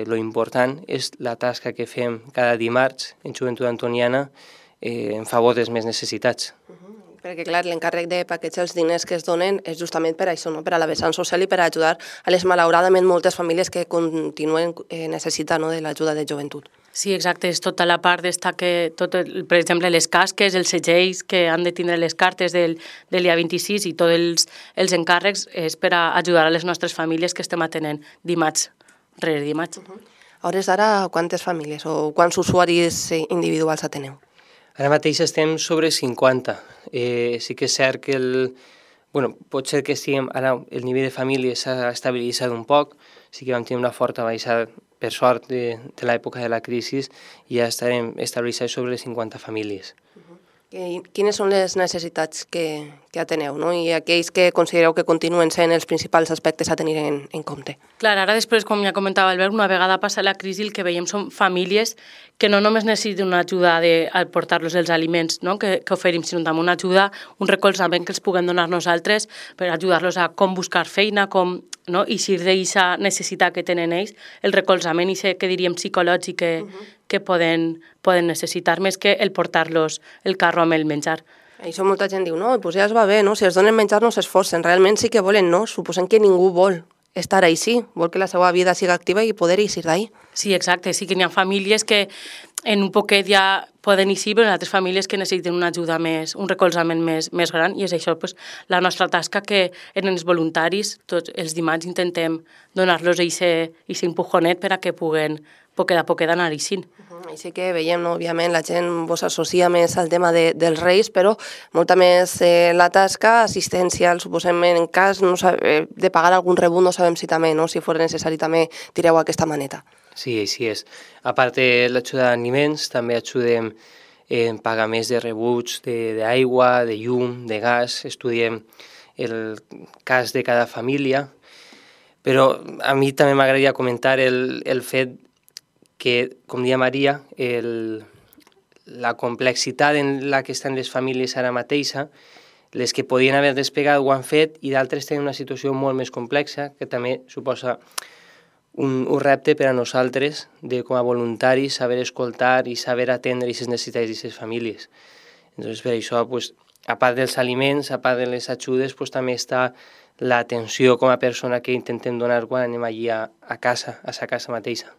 lo important és la tasca que fem cada dimarts en Joventut Antoniana en favor dels més necessitats. Perquè, clar, l'encàrrec de paquejar els diners que es donen és justament per això, no? Per a la vessant social i per ajudar a les malauradament moltes famílies que continuen necessitant de l'ajuda de joventut. Sí, exacte, és tota la part d'estar que, per exemple, les casques, els segells que han de tindre les cartes del dia 26 i tots els encàrrecs és per a ajudar a les nostres famílies que estem atenent dimarts rere dimarts. A hores d'ara, quantes famílies o quants usuaris individuals ateneu? Ara mateix estem sobre 50. Sí que és cert que pot ser que ara el nivell de famílies s'ha estabilitzat un poc, sí que vam tenir una forta baixada, per sort, de l'època de la crisi, i ja estarem estabilitzats sobre les 50 famílies. Quines són les necessitats que ateneu, no? I aquells que considereu que continuen sent els principals aspectes a tenir en compte? Clar, ara després, com ja comentava Albert, una vegada passa la crisi, el que veiem són famílies que no només necessiten una ajuda a portar-los els aliments que oferim, sinó també una ajuda, un recolzament que els puguem donar nosaltres per ajudar-los a com buscar feina, com eixir d'aquesta necessitat que tenen ells, el recolzament que diríem psicològic que poden necessitar més que el portar-los el carro amb el menjar. Això molta gent diu, no, doncs ja es va bé, no? Si els donen menjar no s'esforcen, realment sí que volen, no? Suposem que ningú vol estar així, vol que la seva vida siga activa i poder eixir d'ahí. Sí, exacte, sí que n'hi ha famílies que en un poquet ja poden eixir, però en altres famílies que necessiten una ajuda més, un recolzament més gran, i és això la nostra tasca que en els voluntaris, tots els dimarts intentem donar-los aquest empujonet per a que puguen poquet a poquet anar eixint. Així que veiem, òbviament, la gent vos associa més al tema dels Reis, però molta més la tasca assistencial, suposem, en cas de pagar algun rebut, no sabem si també, si fos necessari també tireu aquesta maneta. Sí, així és. A part de l'ajuda d'aliments, també ajudem en pagaments de rebuts d'aigua, de llum, de gas, estudiem el cas de cada família, però a mi també m'agradaria comentar el fet que, com deia Maria, la complexitat en la que estan les famílies ara mateixa, les que podien haver despegat ho han fet i d'altres tenen una situació molt més complexa, que també suposa un repte per a nosaltres, com a voluntaris, saber escoltar i saber atendre aquestes necessitats d'aquestes famílies. Entonces, per això, a part dels aliments, a part de les ajudes, també està l'atenció com a persona que intentem donar quan anem allí a casa, a sa casa mateixa.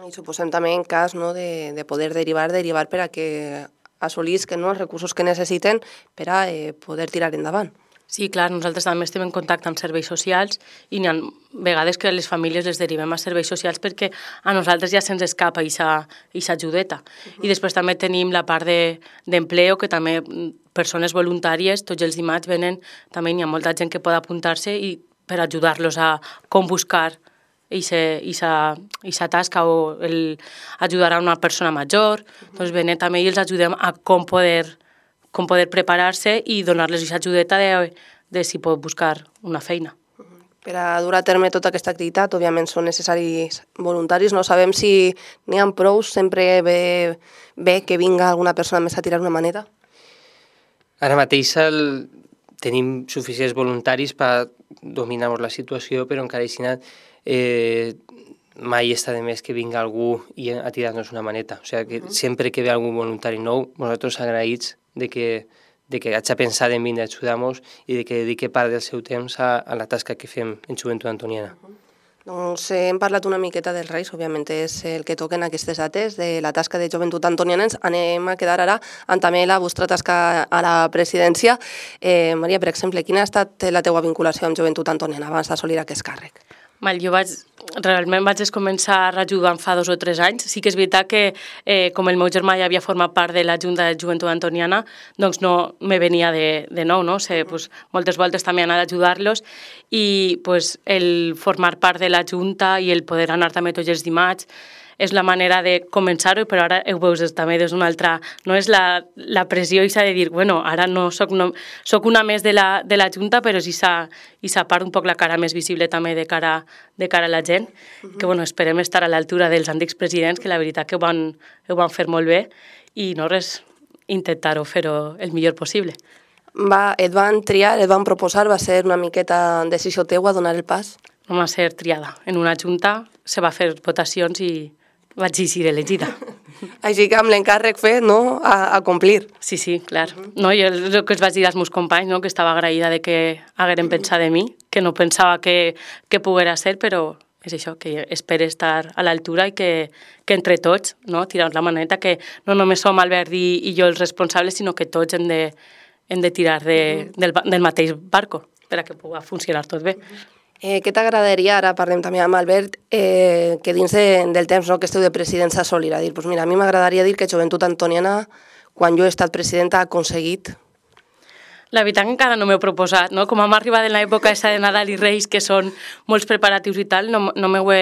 I suposem també en cas de poder derivar per a que assolisquen els recursos que necessiten per a poder tirar endavant. Sí, clar, nosaltres també estem en contacte amb serveis socials i hi ha vegades que les famílies les derivem a serveis socials perquè a nosaltres ja se'ns escapa aquesta ajudeta. I després també tenim la part d'empleo, que també persones voluntàries, tots els dimarts venen, també hi ha molta gent que pot apuntar-se i per ajudar-los a com buscar aquesta tasca o ajudar a una persona major, doncs venen també i els ajudem a com poder preparar-se i donar-los aquesta ajudeta de si pot buscar una feina. Per a dur a terme tota aquesta activitat, òbviament són necessaris voluntaris, no sabem si n'hi ha prou, sempre ve que vinga alguna persona més a tirar una maneta? Ara mateix tenim suficients voluntaris per dominar la situació, però encara així mai està de més que vinga algú a tirar-nos una maneta. O sigui, que sempre que ve algun voluntari nou, nosaltres agraïts de que hagi pensat en vindre a ajudar-nos i de que dediqui part del seu temps a la tasca que fem en Joventut Antoniana. Doncs hem parlat una miqueta dels Reis, òbviament és el que toquen aquestes dates, de la tasca de Joventut Antoniana. Anem a quedar ara amb també la vostra tasca a la presidència. Maria, per exemple, quina ha estat la teua vinculació amb Joventut Antoniana abans d'assolir aquest càrrec? Jo realment vaig començar ajudant fa 2 o 3 anys. Sí que és veritat que com el meu germà ja havia format part de la Junta de Joventut Antoniana, doncs no me venia de nou, no? Moltes voltes també anar a ajudar-los i el formar part de la Junta i el poder anar també tots els dimarts és la manera de començar-ho, però ara ho veus també des d'una altra... No és la pressió i s'ha de dir, bueno, ara no soc una més de la Junta, però sí s'ha part un poc la cara més visible també de cara a la gent, que esperem estar a l'altura dels antics presidents, que la veritat que ho van fer molt bé, i no res, intentar-ho fer-ho el millor possible. Et van triar, et van proposar, va ser una miqueta decisió teua donar el pas? No va ser triada. En una junta se va fer votacions i vaig ser elegida. Així que amb l'encàrrec fet, no?, a complir. Sí, clar. No, jo el que els vaig dir als meus companys, no?, que estava agraïda de que hagueren pensat de mi, que no pensava que poguera ser, però és això, que espero estar a l'altura i que entre tots, no?, tirar la maneta, que no només som Albert i jo els responsables, sinó que tots hem de tirar del mateix barco per a que pugui funcionar tot bé. Què t'agradaria, ara parlem també amb Albert, que dins del temps que esteu de presidència assolir? A dir, mira, a mi m'agradaria dir que Joventut Antoniana, quan jo he estat presidenta, ha aconseguit... La veritat que encara no m'he proposat, no? Com hem arribat en l'època de Nadal i Reis, que són molts preparatius i tal, no m'ho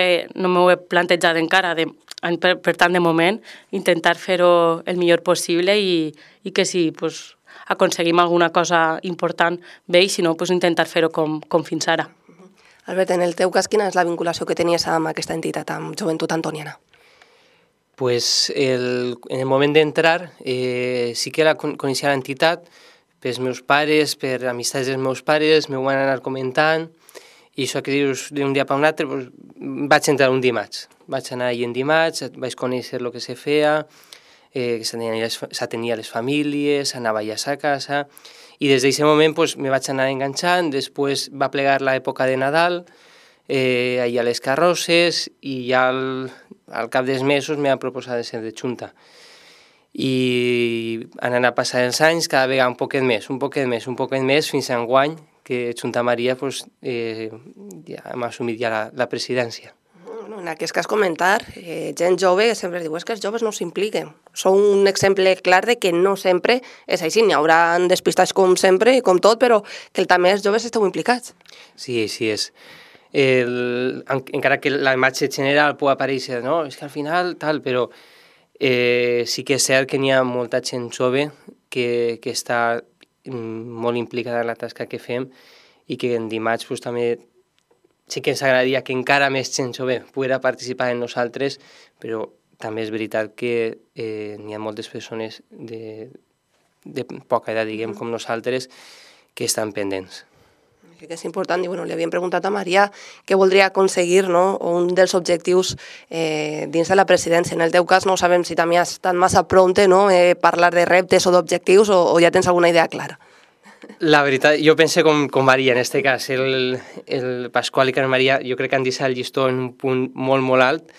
he plantejat encara. Per tant, de moment, intentar fer-ho el millor possible i que si aconseguim alguna cosa important bé, i si no, intentar fer-ho com fins ara. Albert, en el teu cas, quina és la vinculació que tenies amb aquesta entitat, amb Joventut Antoniana? En el moment d'entrar sí que coneixia l'entitat pels meus pares, per amistats dels meus pares, m'ho van anar comentant, i això que dius d'un dia per un altre, vaig entrar un dimarts. Vaig anar allà en dimarts, vaig conèixer el que se feia, que s'atenia les famílies, anava allà a casa, i des d'aquest moment me vaig anar enganxant. Després va plegar l'època de Nadal, allà a les carrosses, i ja al cap dels mesos m'ha proposat de ser de Junta. I han anat passant els anys, cada vegada un poquet més, fins a enguany, que Junta Maria ja hem assumit ja la presidència. En aquest cas comentar, gent jove sempre diu que els joves no s'impliquen. Són un exemple clar de que no sempre és així. N'hi haurà despistats com sempre, com tot, però que també els joves esteu implicats. Sí, així és. Encara que la imatge general pot aparèixer, no? És que al final tal, però sí que és cert que n'hi ha molta gent jove que està molt implicada en la tasca que fem i que en dimarts també sí que ens agradaria que encara més gent jove poguera participar en nosaltres, però també és veritat que n'hi ha moltes persones de poca edat, diguem, com nosaltres, que estan pendents. Crec que és important, i li havíem preguntat a Maria què voldria aconseguir, un dels objectius dins de la presidència. En el teu cas no sabem si també has estat massa pronte, parlar de reptes o d'objectius, o ja tens alguna idea clara. La veritat, jo penso com Maria, en aquest cas, el Pasqual i Carme Maria, jo crec que han deixat el llistó en un punt molt, molt alt,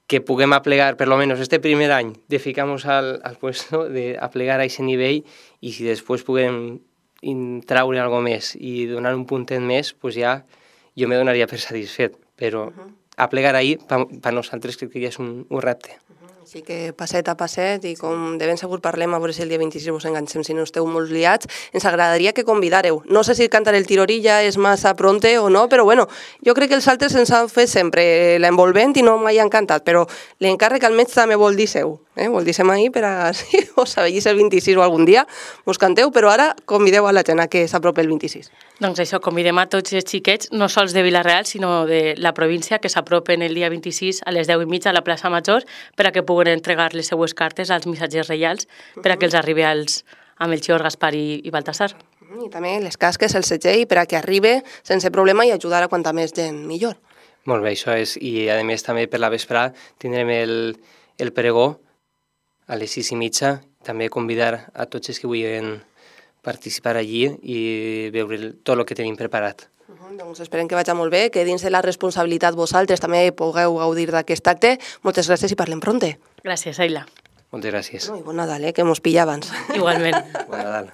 que puguem aplegar, per lo menos este primer any, de ficar-nos al puesto, de aplegar a aquest nivell, i si després puguem traure alguna més i donar un puntet més, doncs ja jo me donaria per satisfet, però aplegar ahir, per nosaltres crec que ja és un repte. Així que passet a passet, i com de ben segur parlem, a veure si el dia 26 vos enganxem, si no esteu molt liats, ens agradaria que convidàreu. No sé si cantar el Tirorilla és massa pronte o no, però bueno, jo crec que els altres ens han fet sempre l'envolvent i no mai han cantat, però l'encàrrec almenys també vol dir seu. Vol dir ser ahir per a, si us avellís el 26 o algun dia, us canteu, però ara convideu a la gent a que s'apropi el 26. Doncs això, convidem a tots els xiquets, no sols de Vila-real, sinó de la província, que s'apropen el dia 26 a les 10:30 a la plaça Major, per a que puguen entregar les seues cartes als missatgers reials, per a que els arribi a Melchior, Gaspar i Baltasar. I també les casques, el segell, per a que arribi sense problema i ajudar a quanta més gent millor. Molt bé, això és, i a més també per la vesprada tindrem el pregó a les 6:30, també convidar a tots els que vulguin participar allí i veure tot el que tenim preparat. Doncs esperem que vagi molt bé, que dins de la responsabilitat vosaltres també pugueu gaudir d'aquest acte. Moltes gràcies i parlem pronte. Gràcies, Aila. Moltes gràcies. I bon Nadal, que mos pilla abans. Igualment. Bon Nadal.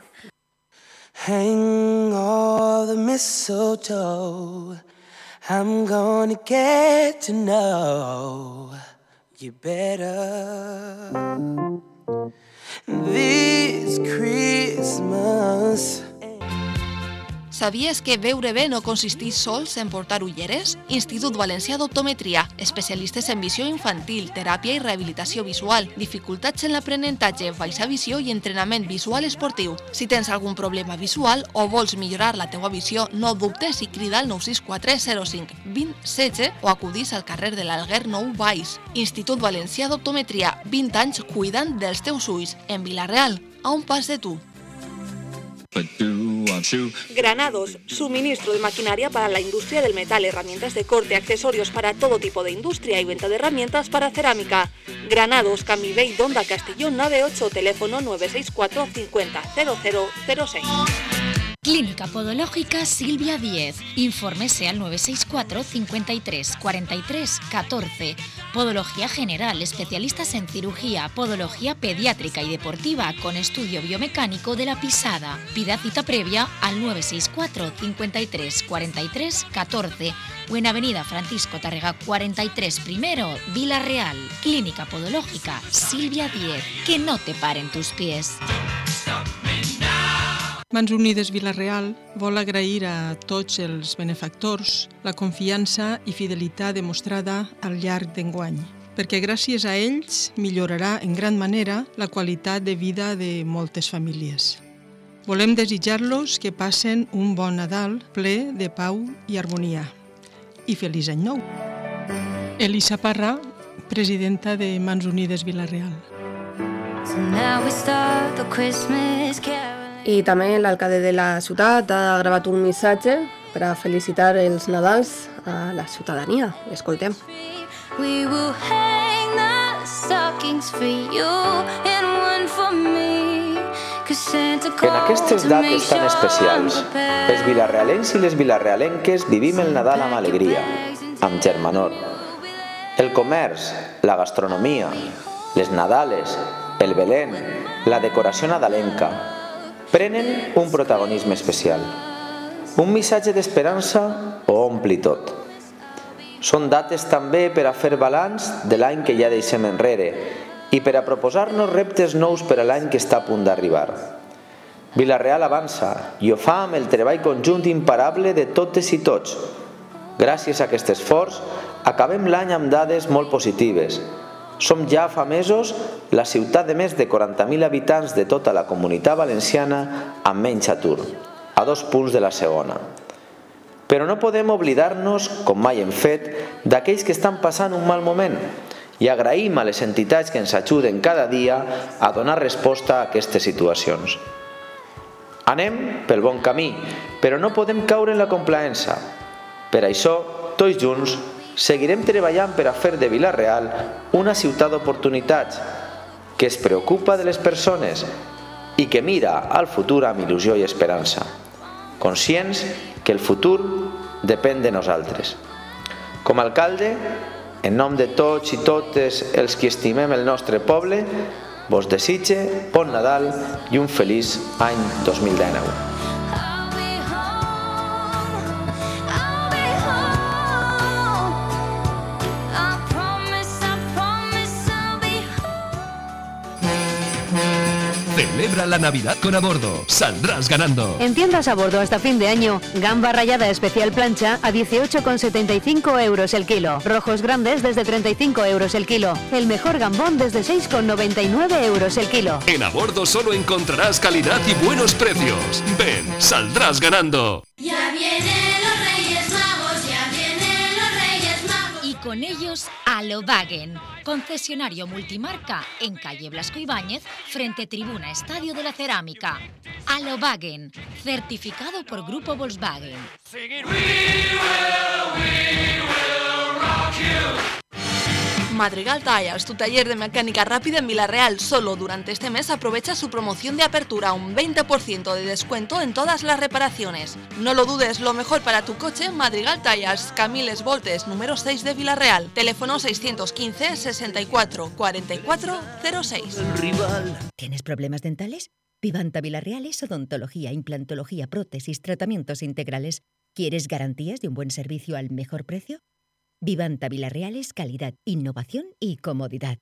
Hang all the mistletoe. I'm gonna get to know you better this Christmas. Sabies que veure bé no consisteix sols en portar ulleres? Institut Valencià d'Optometria, especialistes en visió infantil, teràpia i rehabilitació visual, dificultats en l'aprenentatge, baixa visió i entrenament visual esportiu. Si tens algun problema visual o vols millorar la teua visió, no dubtes i crida al 964 05 20 16 o acudís al carrer de l'Alguer 9 Baix. Institut Valencià d'Optometria, 20 anys cuidant dels teus ulls, en Vila-real, a un pas de tu. Granados, suministro de maquinaria para la industria del metal, herramientas de corte, accesorios para todo tipo de industria y venta de herramientas para cerámica. Granados, Camivey, Donda, Castellón, 98, teléfono 964 50 0006. Clínica Podológica Silvia 10. Infórmese al 964 53 43 14. Podología general, especialistas en cirugía, podología pediátrica y deportiva con estudio biomecánico de la pisada. Pida cita previa al 964 53 43 14 o en Avenida Francisco Tárrega 43 primero, Vila-real. Clínica Podológica Silvia 10. Que no te paren tus pies. Mans Unides Vila-real vol agrair a tots els benefactors la confiança i fidelitat demostrada al llarg d'enguany, perquè gràcies a ells millorarà en gran manera la qualitat de vida de moltes famílies. Volem desitjar-los que passen un bon Nadal ple de pau i harmonia. I feliç any nou! Elisa Parra, presidenta de Mans Unides Vila-real. I també l'alcalde de la ciutat ha gravat un missatge per a felicitar els Nadals a la ciutadania. Escoltem. We will hang the stockings for you and one for me. En aquestes dates tan especials, els vilarealencs i les vilarealenques vivim el Nadal amb alegria, amb germanor. El comerç, la gastronomia, les Nadales, el Belén, la decoració nadalenca, prenen un protagonisme especial. Un missatge d'esperança ho ompli tot. Són dates també per a fer balanç de l'any que ja deixem enrere i per a proposar-nos reptes nous per a l'any que està a punt d'arribar. Vila-real avança i ho fa amb el treball conjunt imparable de totes i tots. Gràcies a aquest esforç, acabem l'any amb dades molt positives. Som ja fa mesos la ciutat de més de 40.000 habitants de tota la Comunitat Valenciana amb menys atur, a 2 punts de la segona. Però no podem oblidar-nos, com mai hem fet, d'aquells que estan passant un mal moment i agraïm a les entitats que ens ajuden cada dia a donar resposta a aquestes situacions. Anem pel bon camí, però no podem caure en la complaença. Per això, tots junts, seguirem treballant per a fer de Vila-real una ciutat d'oportunitats, que es preocupa de les persones i que mira al futur amb il·lusió i esperança, conscients que el futur depèn de nosaltres. Com a alcalde, en nom de tots i totes els que estimem el nostre poble, vos desitge bon Nadal i un feliç any 2019. Celebra la Navidad con A Bordo. Saldrás ganando. En tiendas A Bordo hasta fin de año, gamba rallada especial plancha a 18,75 euros el kilo. Rojos grandes desde 35 euros el kilo. El mejor gambón desde 6,99 euros el kilo. En A Bordo solo encontrarás calidad y buenos precios. Ven, saldrás ganando. Ya vienen los Reyes Magos, ya vienen los Reyes Magos. Y con ellos a Volkswagen, concesionario multimarca en calle Blasco Ibáñez, frente Tribuna Estadio de la Cerámica. Volkswagen, certificado por Grupo Volkswagen. We will rock you. Madrigal Tires, tu taller de mecánica rápida en Villarreal. Solo durante este mes aprovecha su promoción de apertura, un 20% de descuento en todas las reparaciones. No lo dudes, lo mejor para tu coche, Madrigal Tires, Camiles Voltes, número 6 de Villarreal. Teléfono 615 64 44 06. ¿Tienes problemas dentales? Vivanta Villarreal es odontología, implantología, prótesis, tratamientos integrales. ¿Quieres garantías de un buen servicio al mejor precio? Vivanta Villarreal es calidad, innovación y comodidad.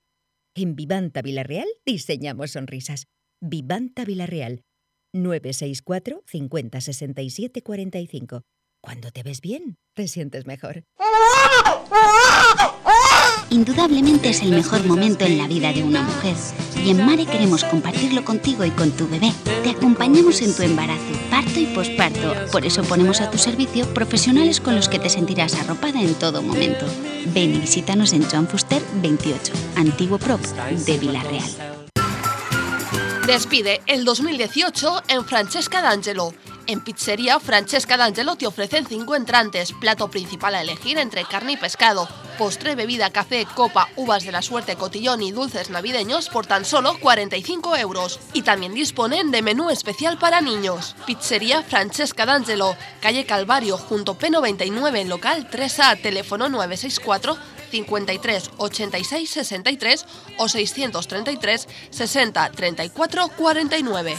En Vivanta Villarreal diseñamos sonrisas. Vivanta Villarreal, 964 50 67 45. Cuando te ves bien, te sientes mejor. Indudablemente es el mejor momento en la vida de una mujer. Y en Mare queremos compartirlo contigo y con tu bebé. Te acompañamos en tu embarazo, parto y posparto. Por eso ponemos a tu servicio profesionales con los que te sentirás arropada en todo momento. Ven y visítanos en Joan Fuster 28, antiguo prop de Villarreal. Despide el 2018 en Francesca d'Angelo. En Pizzería Francesca d'Angelo te ofrecen 5 entrantes, plato principal a elegir entre carne y pescado, postre, bebida, café, copa, uvas de la suerte, cotillón y dulces navideños por tan solo 45 €. Y también disponen de menú especial para niños. Pizzería Francesca d'Angelo, calle Calvario, junto P99, local 3A, teléfono 964 53 86 63 o 633 60 34 49.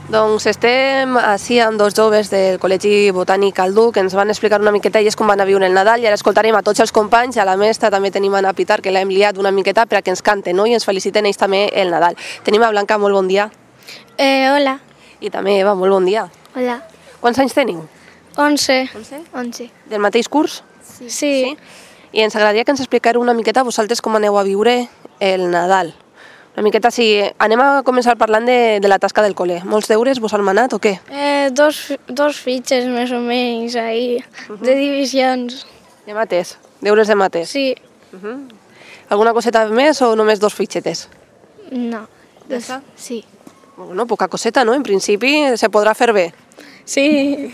Doncs estem així amb dos joves del Col·legi Botànic Aldú que ens van explicar una miqueta ells com van a viure el Nadal i ara escoltarem a tots els companys, a la mestra també tenim a Ana Pitar que l'hem liat una miqueta perquè ens canten, no? I ens feliciten ells també el Nadal. Tenim a Blanca, molt bon dia. Hola. I també Eva, molt bon dia. Hola. Quants anys teniu? 11. 11. Del mateix curs? Sí. I ens agradaria que ens expliqueu una miqueta vosaltres com aneu a viure el Nadal. Una miqueta, sí, anem a començar parlant de la tasca del col·le. Molts deures vos han manat o què? Dos fitxes més o menys ahí, de divisions. De mates? Deures de mates? Sí. Alguna coseta més o només 2 fitxetes? No. Ja està? Sí. Bueno, poca coseta, no? En principi se podrà fer bé. Sí.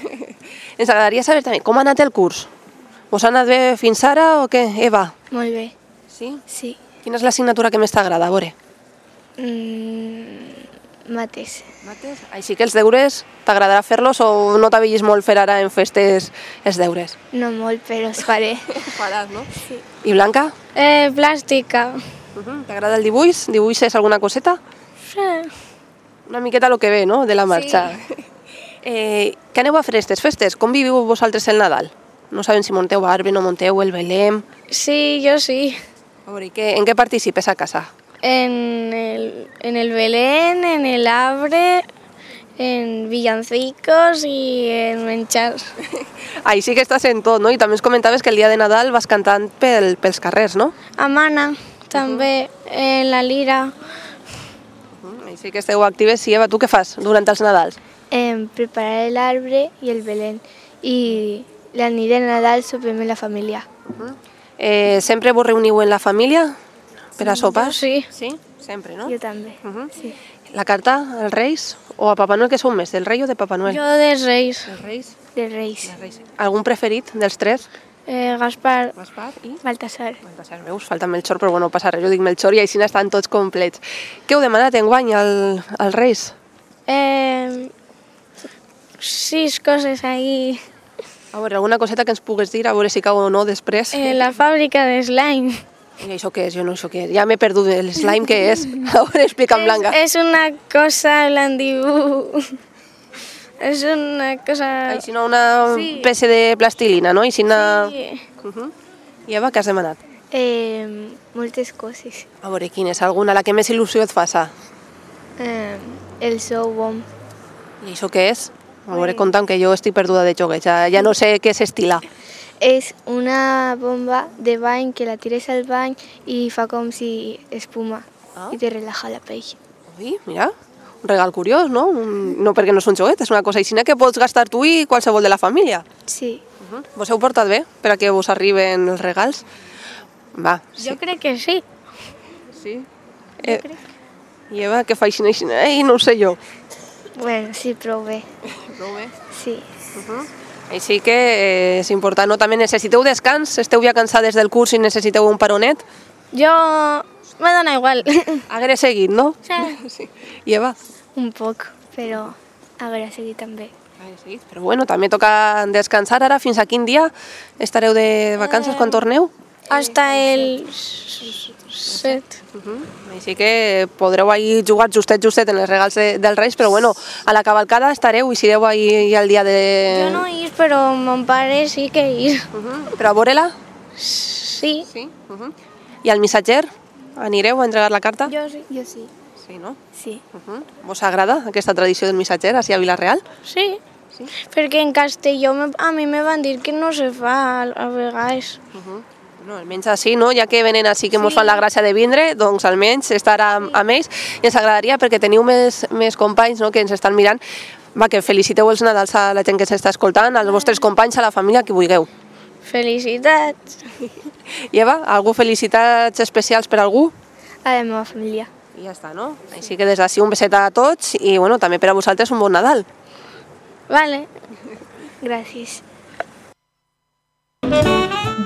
Ens agradaria saber també com ha anat el curs. Vos ha anat bé fins ara o què, Eva? Molt bé. Sí? Sí. Quina és l'assignatura que més t'agrada, a veure? Mates. Mates? Així que els deures t'agradarà fer-los o no t'havies molt fer ara en festes els deures? No molt, però els faré. Faràs, no? Sí. I Blanca? Plàstica. T'agrada el dibuix? Dibuixes alguna coseta? Sí. Una miqueta el que ve, no?, de la marxa. Sí. Què aneu a fer aquestes festes? Com viviu vosaltres el Nadal? No sabem si monteu arbre, no monteu, el Belém... Sí, jo sí. A veure, en què participes a casa? En el Belén, en el arbre, en villancicos i en menjars. Ahí sí que estàs en tot, no? I també ens comentaves que el dia de Nadal vas cantant pels carrers, no? A Mana, també, en la lira. Ahí sí que esteu actives. Sí, Eva, tu què fas durant els Nadals? Preparar l'arbre i el Belén. I la nit de Nadal sopem en la família. Sempre vos reuniu en la família per a sopar? Sí. Sí? Sempre, no? Jo també, sí. La carta als Reis o a Papa Noel, que sou més, del rei o de Papa Noel? Jo dels Reis. Dels Reis? Dels Reis. Algun preferit dels tres? Gaspar. Gaspar i? Baltasar. Baltasar, veus? Falta Melchor, però bueno, passa res, jo dic Melchor i així estan tots complets. Què heu demanat enguany als Reis? 6 coses ahí. A veure, alguna coseta que ens pugues dir, a veure si cau o no després. La fàbrica de slime. I això què és? Jo no sé què és. Ja m'he perdut. El slime què és? A veure, explica'm, Blanca. És una cosa blandiú. És una cosa... Així no, una peça de plastilina, no? Així una... Sí. I Eva, què has demanat? Moltes coses. A veure, quina és? Alguna? La que més il·lusió et faça? El sou bom. I això què és? A veure, conta'm, que jo estic perduda de jogues. Ja no sé què s'estila. És una bomba de bany que la tires al bany i fa com si espuma i te relaja la pell. Ui, mira, un regal curiós, no? No perquè no és un joguet, és una cosa així que pots gastar tu i qualsevol de la família. Sí. Vos heu portat bé per a que vos arriben els regals? Va. Jo crec que sí. Sí? I Eva, què fa així? Ei, no ho sé jo. Bueno, sí, prou bé. Prou bé? Sí. Així que és important, no? També necessiteu descans? Esteu ja cansades del curs i necessiteu un paronet? Jo... me dona igual. Haguera seguit, no? Sí. I Eva? Un poc, però haguera seguit també. Però bueno, també toca descansar ara. Fins a quin dia estareu de vacances quan torneu? Hasta el 7. Així que podreu ahir jugar justet en els regals dels Reis, però bueno, a la cavalcada estareu i sereu ahir el dia de... Jo no hi és, però mon pare sí que hi és. Però a veure-la? Sí. I al missatger? Anireu a entregar la carta? Jo sí. Jo sí. Sí, no? Sí. Vos agrada aquesta tradició del missatger així a Vila-real? Sí. Perquè en Castelló a mi me van dir que no se fa a vegades. No, almenys així, no? Ja que venen així que mos fan la gràcia de vindre, doncs almenys estar amb ells. I ens agradaria, perquè teniu més companys, no?, que ens estan mirant, que feliciteu els Nadals a la gent que s'està escoltant, als vostres companys, a la família, que vulgueu. Felicitats. I Eva, algú felicitats especials per algú? A la meva família. I ja està, no? Així que des d'ací un beset a tots i bueno, també per a vosaltres un bon Nadal. Vale. Gràcies.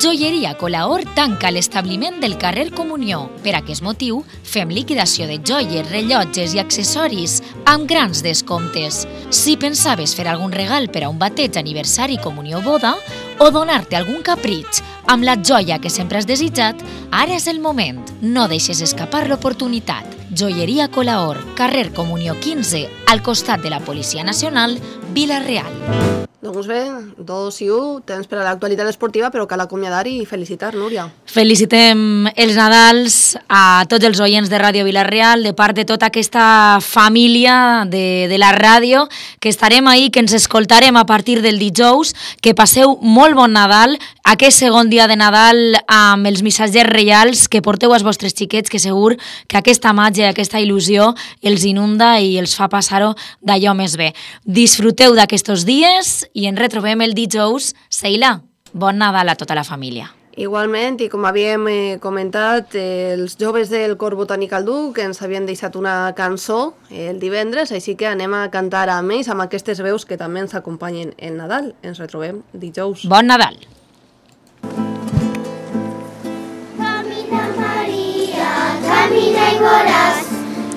Joieria Colaor tanca l'establiment del carrer Comunió. Per aquest motiu, fem liquidació de joies, rellotges i accessoris amb grans descomptes. Si pensaves fer algun regal per a un bateig, aniversari, comunió o boda, o donar-te algun capritx amb la joia que sempre has desitjat, ara és el moment. No deixes escapar l'oportunitat. Joieria Colaor, carrer Comunió 15, al costat de la Policia Nacional, Vila-real. Doncs bé, 2 i 1, temps per a l'actualitat esportiva, però cal acomiadar i felicitar, Núria. Felicitem els Nadals a tots els oients de Ràdio Vila-real, de part de tota aquesta família de la ràdio, que estarem ahí, que ens escoltarem a partir del dijous, que passeu molt bon Nadal, aquest segon dia de Nadal amb els missatgers reials que porteu als vostres xiquets, que segur que aquesta màgia, aquesta il·lusió els inunda i els fa passar-ho d'allò més bé. Disfruteu d'aquests dies i ens retrobem el dijous. Seila, bon Nadal a tota la família. Igualment, i com havíem comentat, els joves del Cor Botànic al Duc ens havien deixat una cançó el divendres, així que anem a cantar amb ells, amb aquestes veus que també ens acompanyen el Nadal. Ens retrobem dijous. Bon Nadal! Camina Maria, camina i veuràs,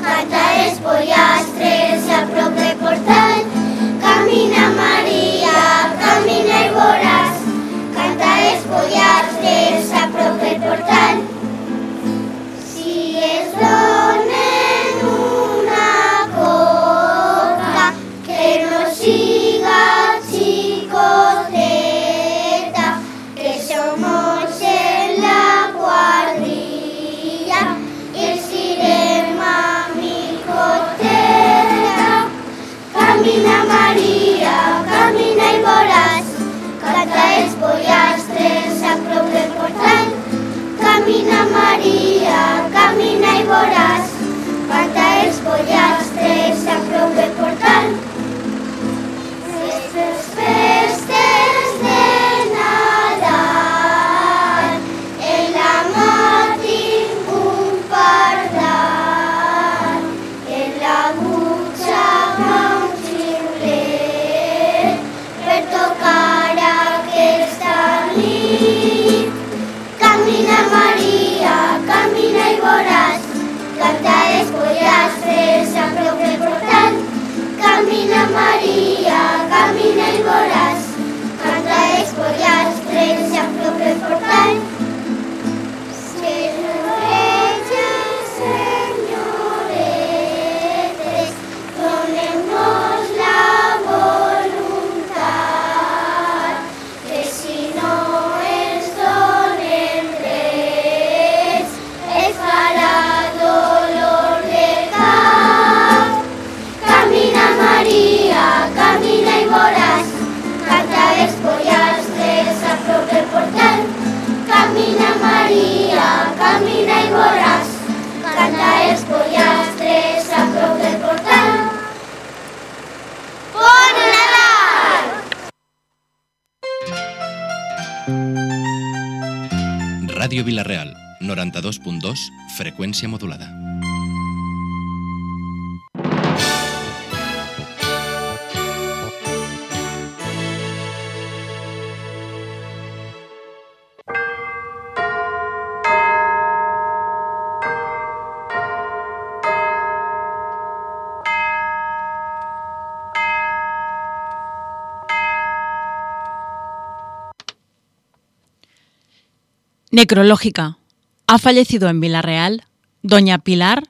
canta els pollastres a prop del portal. Camina Maria, camina i veuràs, canta els pollastres a prop del portal. Si es donen una coca, que no siga xicoteta, que somos en la quadrilla i els irem a micoteta. Camina Maria, camina i veuràs, canta els pollastres a prop del portal. Camina Ràdio Vila-real, 92.2, freqüència modulada. Necrológica. Ha fallecido en Vila-real Doña Pilar